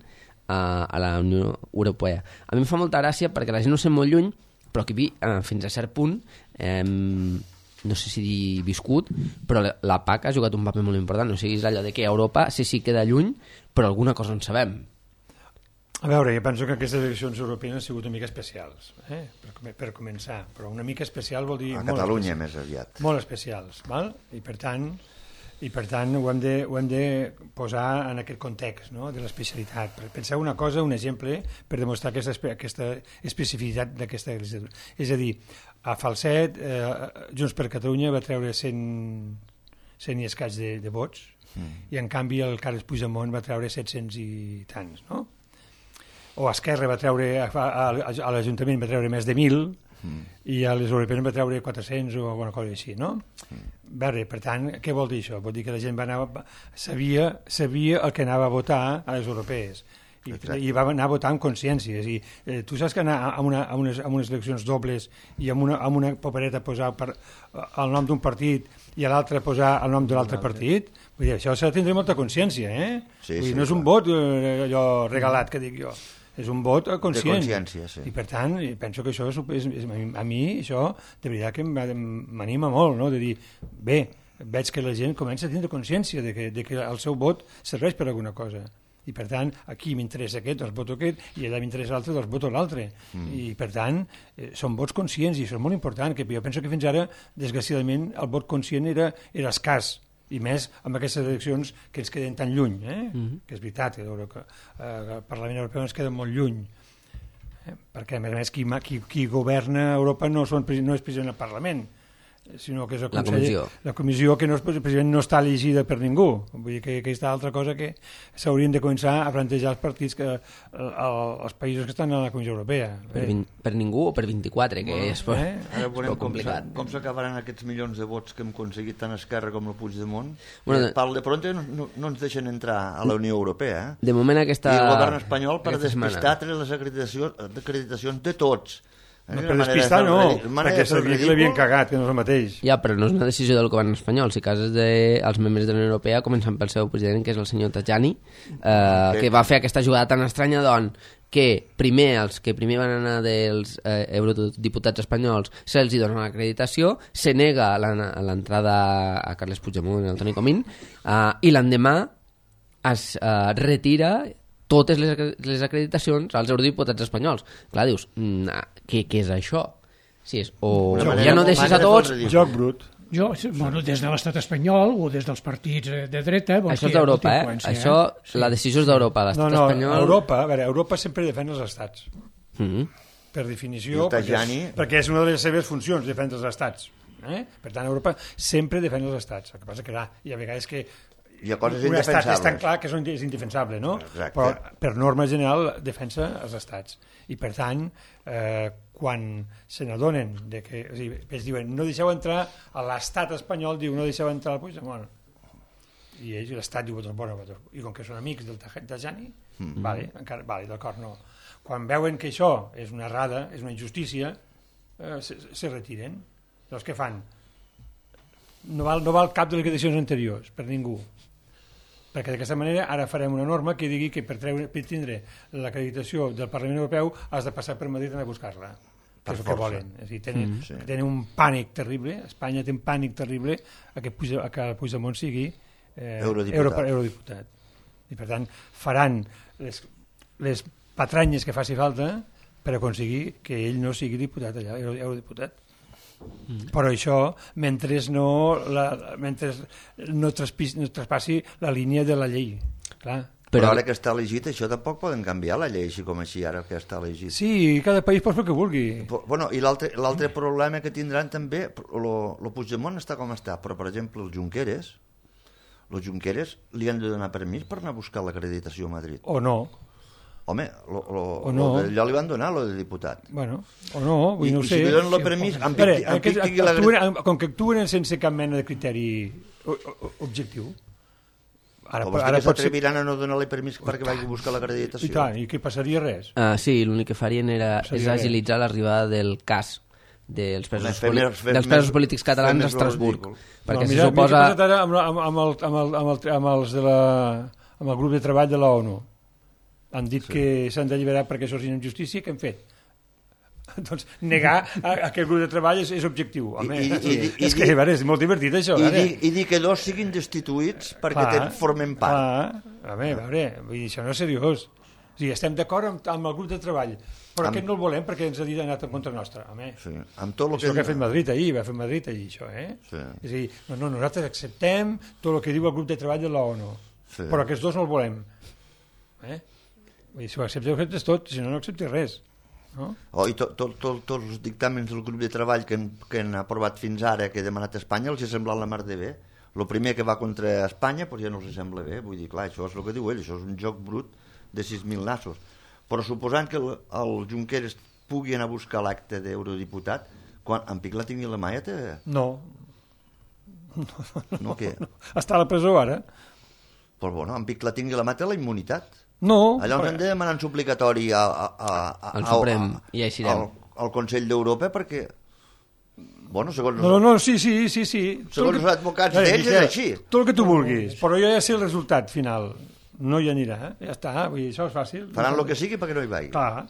a la Unió Europea? A mi em fa molta gràcia perquè la gent no sent molt lluny, però aquí fins a cert punt no sé si dir viscut, però la PAC ha jugat un paper molt important. O sigui, és allò de que Europa sí queda lluny, però alguna cosa en sabem. A veure, jo penso que aquestes eleccions europees han sigut una mica especials, per començar, però una mica especial vol dir... A Catalunya més aviat. Molt especials, val? I per tant ho hem de posar en aquest context, no? De l'especialitat. Penseu una cosa, un exemple, per demostrar aquesta especificitat d'aquesta legislatura. És a dir, a Falset, Junts per Catalunya va treure 100 i escaig de vots, i en canvi el Carles Puigdemont va treure 700 i tants, no? O Esquerra va treure, a l'Ajuntament va treure més de 1.000, i a les europees va treure 400 o alguna cosa així, no? Bé, per tant, què vol dir això? Vol dir que la gent sabia el que anava a votar a les europees i va anar a votar amb consciència. És a dir, tu saps que anar a unes eleccions dobles i amb una papereta posar el nom d'un partit i a l'altre posar el nom de l'altre partit, vull dir, això s'ha de tindre molta consciència, Sí, vull dir, no és un vot allò regalat que dic jo, és un vot conscient. De consciència, sí. I per tant, penso que això a mi això de veritat que m'anima molt, no? De dir, bé, veig que la gent comença a tindre consciència de que el seu vot serveix per alguna cosa. I per tant, aquí m'interessa aquest, doncs voto aquest, i allà m'interessa l'altre, doncs voto l'altre. I per tant, són vots conscients i això és molt important, que jo penso que fins ara, desgraciadament, el vot conscient era escàs, i més amb aquestes eleccions que ens queden tan lluny, que és veritat que el Parlament Europeu ens queda molt lluny, perquè a més qui governa Europa no és president del Parlament, sinó que és el Consell, la comissió que precisament no està elegida per ningú. Vull dir que aquesta altra cosa que s'haurien de començar a plantejar els partits els països que estan a la Comissió Europea. Per ningú o per 24, que és complicat. Com s'acabaran aquests milions de vots que hem aconseguit tant Esquerra com el Puigdemont? De pronto no ens deixen entrar a la Unió Europea. De moment aquesta... I el govern espanyol per despistar les acreditacions de tots. No, per despistar no, perquè sabia que l'havien cagat, que no és el mateix. Ja, però no és una decisió del govern espanyol. Si cases els membres de la Unió Europea, començant pel seu president, que és el senyor Tajani, que va fer aquesta jugada tan estranya, que els que primer van anar dels eurodiputats espanyols se'ls dona l'acreditació, se nega l'entrada a Carles Puigdemont i al Toni Comín, i l'endemà es retira totes les acreditacions als eurodiputats espanyols. Clar, dius, què és això? Si és, o ja no deixes a tots... Joc brut. Des de l'estat espanyol o des dels partits de dreta... Això és d'Europa, Això, la decisió és d'Europa. L'estat espanyol... Europa sempre defèn els estats. Per definició, perquè és una de les seves funcions, defendre els estats. Per tant, Europa sempre defèn els estats. El que passa que hi ha vegades que un estat és tan clar que és indefensable, no? Però per norma general defensa els estats. I per tant, quan se n'adonen que ells diuen no deixeu entrar a l'estat espanyol, diu no deixeu entrar al Puigdemont, i ells, l'estat diu bueno, i com que són amics del Tajani, vale, d'acord, no. Quan veuen que això és una errada, és una injustícia, se retiren. Llavors què fan? No val cap de les decisions anteriors per ningú, perquè d'aquesta manera ara farem una norma que digui que per tindre l'acreditació del Parlament Europeu has de passar per Madrid a buscar-la, que és el que volen. És a dir, tenen un pànic terrible, Espanya té un pànic terrible a que Puigdemont sigui eurodiputat. I per tant faran les patranyes que faci falta per aconseguir que ell no sigui diputat allà, eurodiputat. Però això mentre no traspassi la línia de la llei, clar. Però ara que està elegit això tampoc poden canviar la llei així com així ara que està elegit. Sí, cada país pot fer el que vulgui. Bueno, i l'altre problema que tindran també, el Puigdemont està com està, però per exemple els Junqueras li han de donar permís per anar a buscar l'acreditació a Madrid. O no. Home, allò li van donar, de diputat. Bueno, o no, vull no ho sé. I si li donen el permís, com que actuen sense cap mena de criteri objectiu. Ara s'atreviran a no donar-li permís perquè vagi a buscar l'acreditació. I tant, i què passaria res? Sí, l'únic que farien és agilitzar l'arribada del cas dels presos polítics catalans a Estrasburg. Perquè se suposa... Mira, amb el grup de treball de l'ONU. Han dit que s'han d'alliberar perquè això és injustícia, què han fet? Doncs negar que el grup de treball és objectiu. És que és molt divertit això. I dir que dos siguin destituïts perquè formen part. A veure, això no és seriós. O sigui, estem d'acord amb el grup de treball, però aquest no el volem perquè ens ha dit anat en contra nostra. Amb tot el que ha fet Madrid ahir, va fer Madrid ahir, això. És a dir, nosaltres acceptem tot el que diu el grup de treball de l'ONU, però aquests dos no el volem. Si ho acceptes tot, si no, no acceptes res. I tots els dictàmens del grup de treball que han aprovat fins ara, que ha demanat Espanya, els ha semblat la mar de bé. El primer que va contra Espanya ja no els sembla bé. Vull dir, clar, això és el que diu ell, això és un joc brut de 6.000 nassos. Però suposant que el Junqueras pugui anar a buscar l'acte d'eurodiputat, quan en Pic la tingui la mà ja té... No. No, què? Està a la presó ara. Però bueno, en Pic la tingui la mà té la immunitat. No. Allà ens hem de demanar un suplicatori al Suprem i així al Consell d'Europa perquè segons sí. Segons els advocats d'ells és així. Tot el que tu vulguis, però ja sé el resultat final. No hi anirà, ja està, vull dir, això és fàcil. Faran el que sigui perquè no hi vagi. Clar.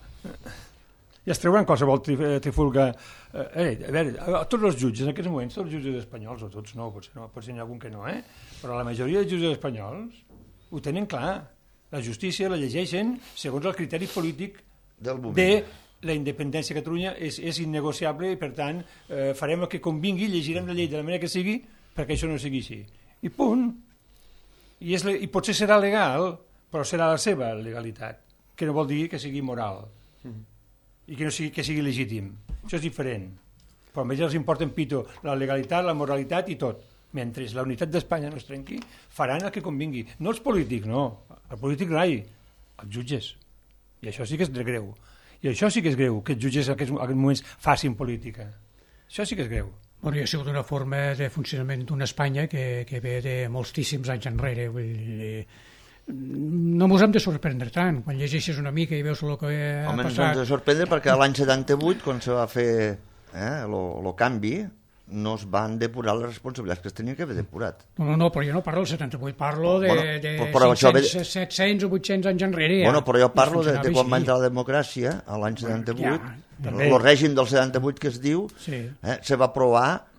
Ja es treuran qualsevol trifulga. A veure, tots els jutges en aquests moments, tots els jutges espanyols, o tots no, potser n'hi ha algun que no, però la majoria dels jutges espanyols ho tenen clar. La justícia la llegeixen segons el criteri polític de la independència de Catalunya és innegociable i per tant farem el que convingui, llegirem la llei de la manera que sigui perquè això no sigui així. I punt. I potser serà legal, però serà la seva legalitat, que no vol dir que sigui moral i que sigui legítim. Això és diferent. Però a ells els importa en pito la legalitat, la moralitat i tot. Mentre la unitat d'Espanya no es trenqui, faran el que convingui. No els polítics, no. El polític rai, els jutges. I això sí que és greu. I això sí que és greu, que els jutges en aquests moments facin política. Això sí que és greu. Bueno, hi ha sigut una forma de funcionament d'una Espanya que ve de moltíssims anys enrere. Vull dir, no mos hem de sorprendre tant. Quan llegeixes una mica i veus el que ha Home, ens passat... hem de sorprendre perquè l'any 78, quan se va fer el canvi, no es van depurar les responsabilitats que es tenien que haver depurat. No, però jo no parlo del 78, parlo de 500, 700 o 800 anys enrere. Bueno, però jo parlo de quan va entrar la democràcia, a l'any 78, el règim del 78 que es diu, se va aprovar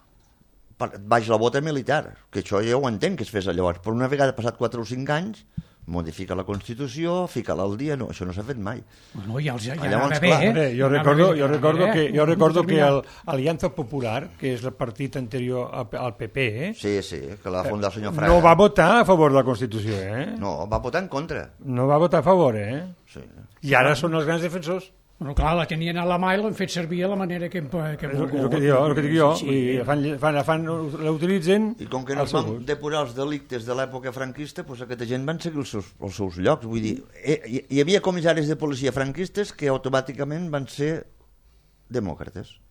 baix la bota militar, que això ja ho entenc que es fes llavors, però una vegada passat 4 o 5 anys modifica la Constitució, fica-la al dia, no, això no s'ha fet mai. Bueno, ja llavors, anava bé, jo recordo que l'Aliança Popular, que és el partit anterior al PP, sí, que la va fundar el senyor Fraga, no va votar a favor de la Constitució, No, va votar en contra. No va votar a favor, Sí. I ara són els grans defensors. Bueno, clar, la tenien a la mà i l'han fet servir a la manera que És el que dic jo. L'utilitzen... I com que no es van depurar els delictes de l'època franquista, doncs aquesta gent van seguir els seus llocs. Vull dir, hi havia comissaris de policia franquistes que automàticament van ser demòcrates.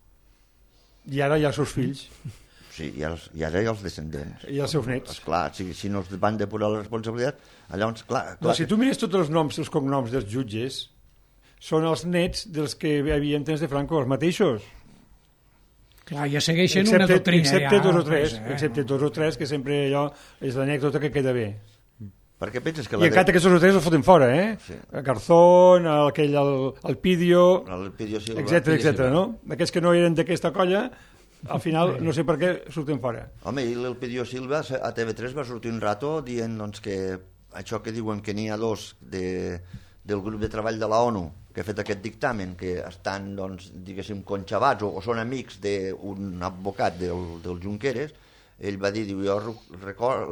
I ara hi ha els seus fills. Sí, i ara hi ha els descendents. I els seus nets. Esclar, si no es van depurar la responsabilitat, llavors, clar... No, si tu mires tots els noms, els cognoms dels jutges, són els nets dels que hi havia en temps de Franco, els mateixos. Clar, ja segueixen una doctrina. Excepte dos o tres, que sempre allò és l'anècdota que queda bé. Perquè penses que I encara que aquests tres els foten fora, Sí. Garzón, el Pidio, Silva, etc. No? Aquells que no eren d'aquesta colla, al final no sé per què surten fora. Home, i l'Elpidio Silva a TV3 va sortir un rato dient doncs, que això que diuen que n'hi ha dos del grup de treball de la ONU que ha fet aquest dictamen, que estan, doncs, diguéssim, conxabats o són amics d'un advocat del Junqueras, ell va dir, jo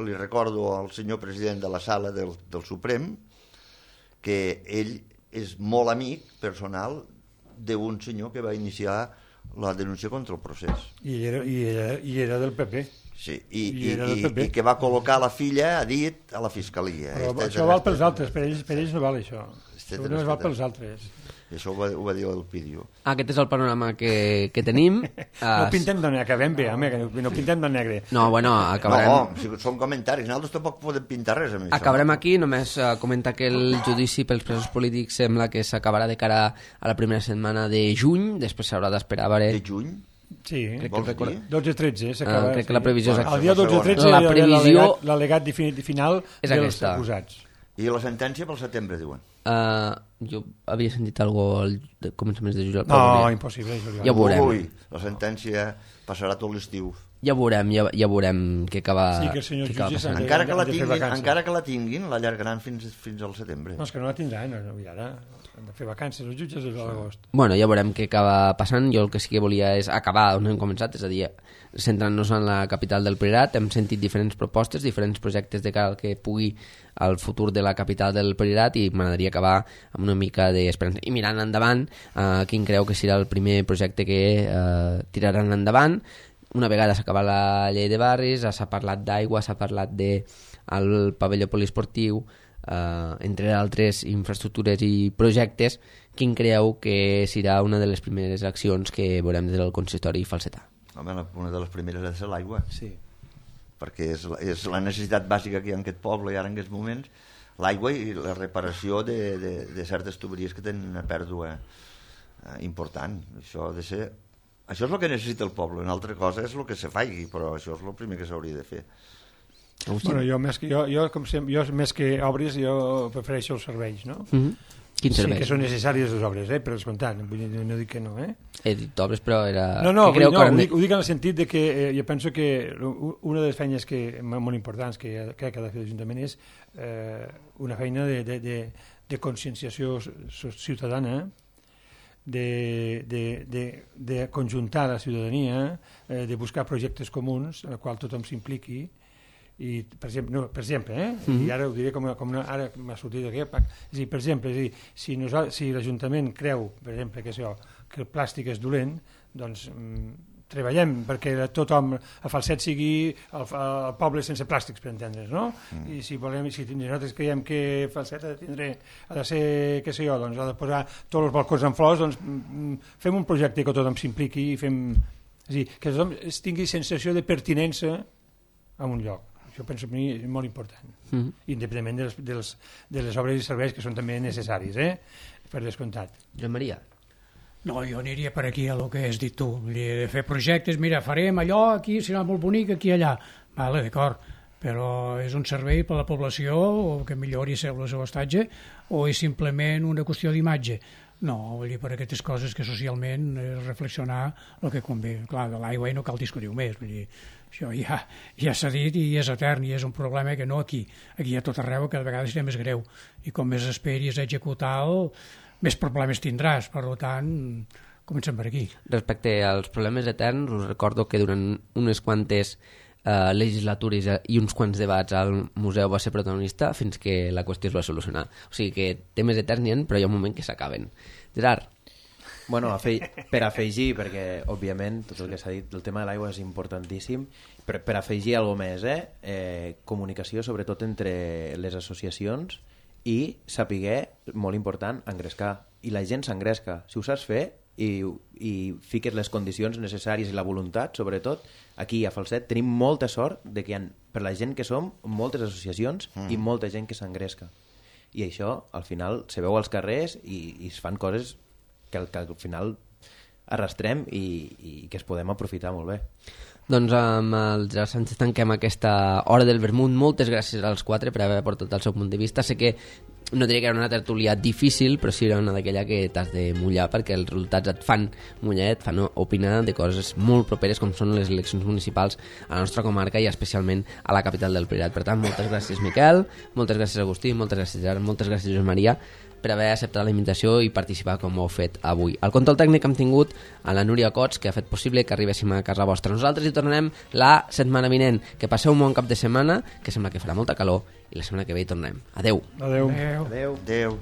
li recordo al senyor president de la sala del Suprem que ell és molt amic personal d'un senyor que va iniciar la denúncia contra el procés. I era del PP. Sí, i que va col·locar la filla a dit a la fiscalia. Però això val pels altres, per ells no val això. No es val pels altres. Això ho va dir l'Elpidio. Aquest és el panorama que tenim. No pintem de negre, acabem bé, home, que no pintem de negre. No, bueno, acabarem... No, si són comentaris, nosaltres tampoc podem pintar res amb això. Acabarem aquí, només comentar que el judici pels presos polítics sembla que s'acabarà de cara a la primera setmana de juny, després s'haurà d'esperar a veure... De juny? Sí, vols dir? 12-13 s'acaba. Crec que la previsió és aquesta. El dia 12-13 l'al·legat final és dels aquesta. acusats. I la sentència pel setembre, diuen. Jo havia sentit alguna cosa al començaments de juliol. No, impossible. Ja ho veurem. Ui, la sentència passarà tot l'estiu. Ja veurem què acaba... Sí, que el senyor jutge encara que la tinguin, l'allargaran fins al setembre. No, és que no la tindran, ara han de fer vacances els jutges des de l'agost. Bueno, ja veurem què acaba passant. Jo el que sí que volia és acabar on hem començat, és a dir, centrant-nos en la capital del Priorat. Hem sentit diferents propostes, diferents projectes de cara al que pugui el futur de la capital del Priorat, i m'agradaria acabar amb una mica d'esperança. I mirant endavant, quin creu que serà el primer projecte que tiraran endavant. Una vegada s'ha acabat la llei de barris, s'ha parlat d'aigua, s'ha parlat del pavelló poliesportiu, entre altres infraestructures i projectes. Quin creieu que serà una de les primeres accions que veurem des del consistori falsetà? Home, una de les primeres ha de ser l'aigua. Sí. Perquè és la necessitat bàsica que hi ha en aquest poble i ara en aquests moments, l'aigua i la reparació de certes tuberies que tenen una pèrdua important. Això ha de ser... Això és el que necessita el poble, una altra cosa és el que se faci, però això és el primer que s'hauria de fer. Bueno, jo més que obres, jo prefereixo els serveis, no? Quins serveis? Sí que són necessàries les obres, per descomptat, no dic que no, He dit obres, però era... No, ho dic en el sentit de que jo penso que una de les feines molt importants que crec que ha de fer l'Ajuntament és una feina de conscienciació ciutadana, de conjuntar la ciutadania, de buscar projectes comuns en els quals tothom s'impliqui, i per exemple, i ara ho diré ara m'ha sortit aquí, és a dir, per exemple, si l'Ajuntament creu, per exemple, que el plàstic és dolent, doncs treballem perquè tothom a Falset sigui el poble sense plàstics, per entendre's, no? I si nosaltres creiem que Falset ha de ser, què sé jo, doncs ha de posar tots els balcons en flors, doncs fem un projecte que tothom s'impliqui i fem... És a dir, que tothom tingui sensació de pertinença a un lloc. Això penso per mi és molt important, independentment de les obres i serveis que són també necessaris, per descomptat. Joan Maria? No, jo aniria per aquí a el que has dit tu, de fer projectes, mira, farem allò, aquí serà molt bonic, aquí allà. Vale, d'acord, però és un servei per a la població o que millori el seu estatge o és simplement una qüestió d'imatge? No, vull dir, per aquestes coses que socialment és reflexionar el que convé. Clar, de l'aigua no cal discutir més, vull dir, això ja s'ha dit i és etern i és un problema que no aquí a tot arreu cada vegada serà més greu i com més esperis a executar-lo més problemes tindràs, per tant comencem per aquí. Respecte als problemes eterns, us recordo que durant unes quantes legislatures i uns quants debats al museu va ser protagonista fins que la qüestió es va solucionar. O sigui que temes eterns n'hi ha, però hi ha un moment que s'acaben. Gerard? Bueno, per afegir, perquè òbviament tot el que s'ha dit del tema de l'aigua és importantíssim, per afegir alguna més, comunicació sobretot entre les associacions i saber, molt important, engrescar. I la gent s'engresca. Si ho saps fer i fiques les condicions necessàries i la voluntat, sobretot, aquí a Falset tenim molta sort de que hi ha, per la gent que som, moltes associacions i molta gent que s'engresca. I això, al final, se veu als carrers i es fan coses que al final arrastrem i que es podem aprofitar molt bé. Doncs amb el Gerard Sánchez tanquem aquesta hora del vermut. Moltes gràcies als quatre per haver portat el seu punt de vista. Sé que no diria que era una tertúlia difícil, però sí era una d'aquella que t'has de mullar perquè els resultats et fan mullar, et fan opinar de coses molt properes com són les eleccions municipals a la nostra comarca i especialment a la capital del Priorat. Per tant, moltes gràcies Miquel, moltes gràcies Agustí, moltes gràcies Gerard, moltes gràcies Josep Maria per haver acceptat la invitació i participar com ho heu fet avui. Al control tècnic hem tingut a la Núria Cots, que ha fet possible que arribéssim a casa vostra. Nosaltres hi tornarem la setmana vinent. Que passeu un bon cap de setmana, que sembla que farà molta calor, i la setmana que ve hi tornem. Adeu. Adeu. Adeu. Adeu.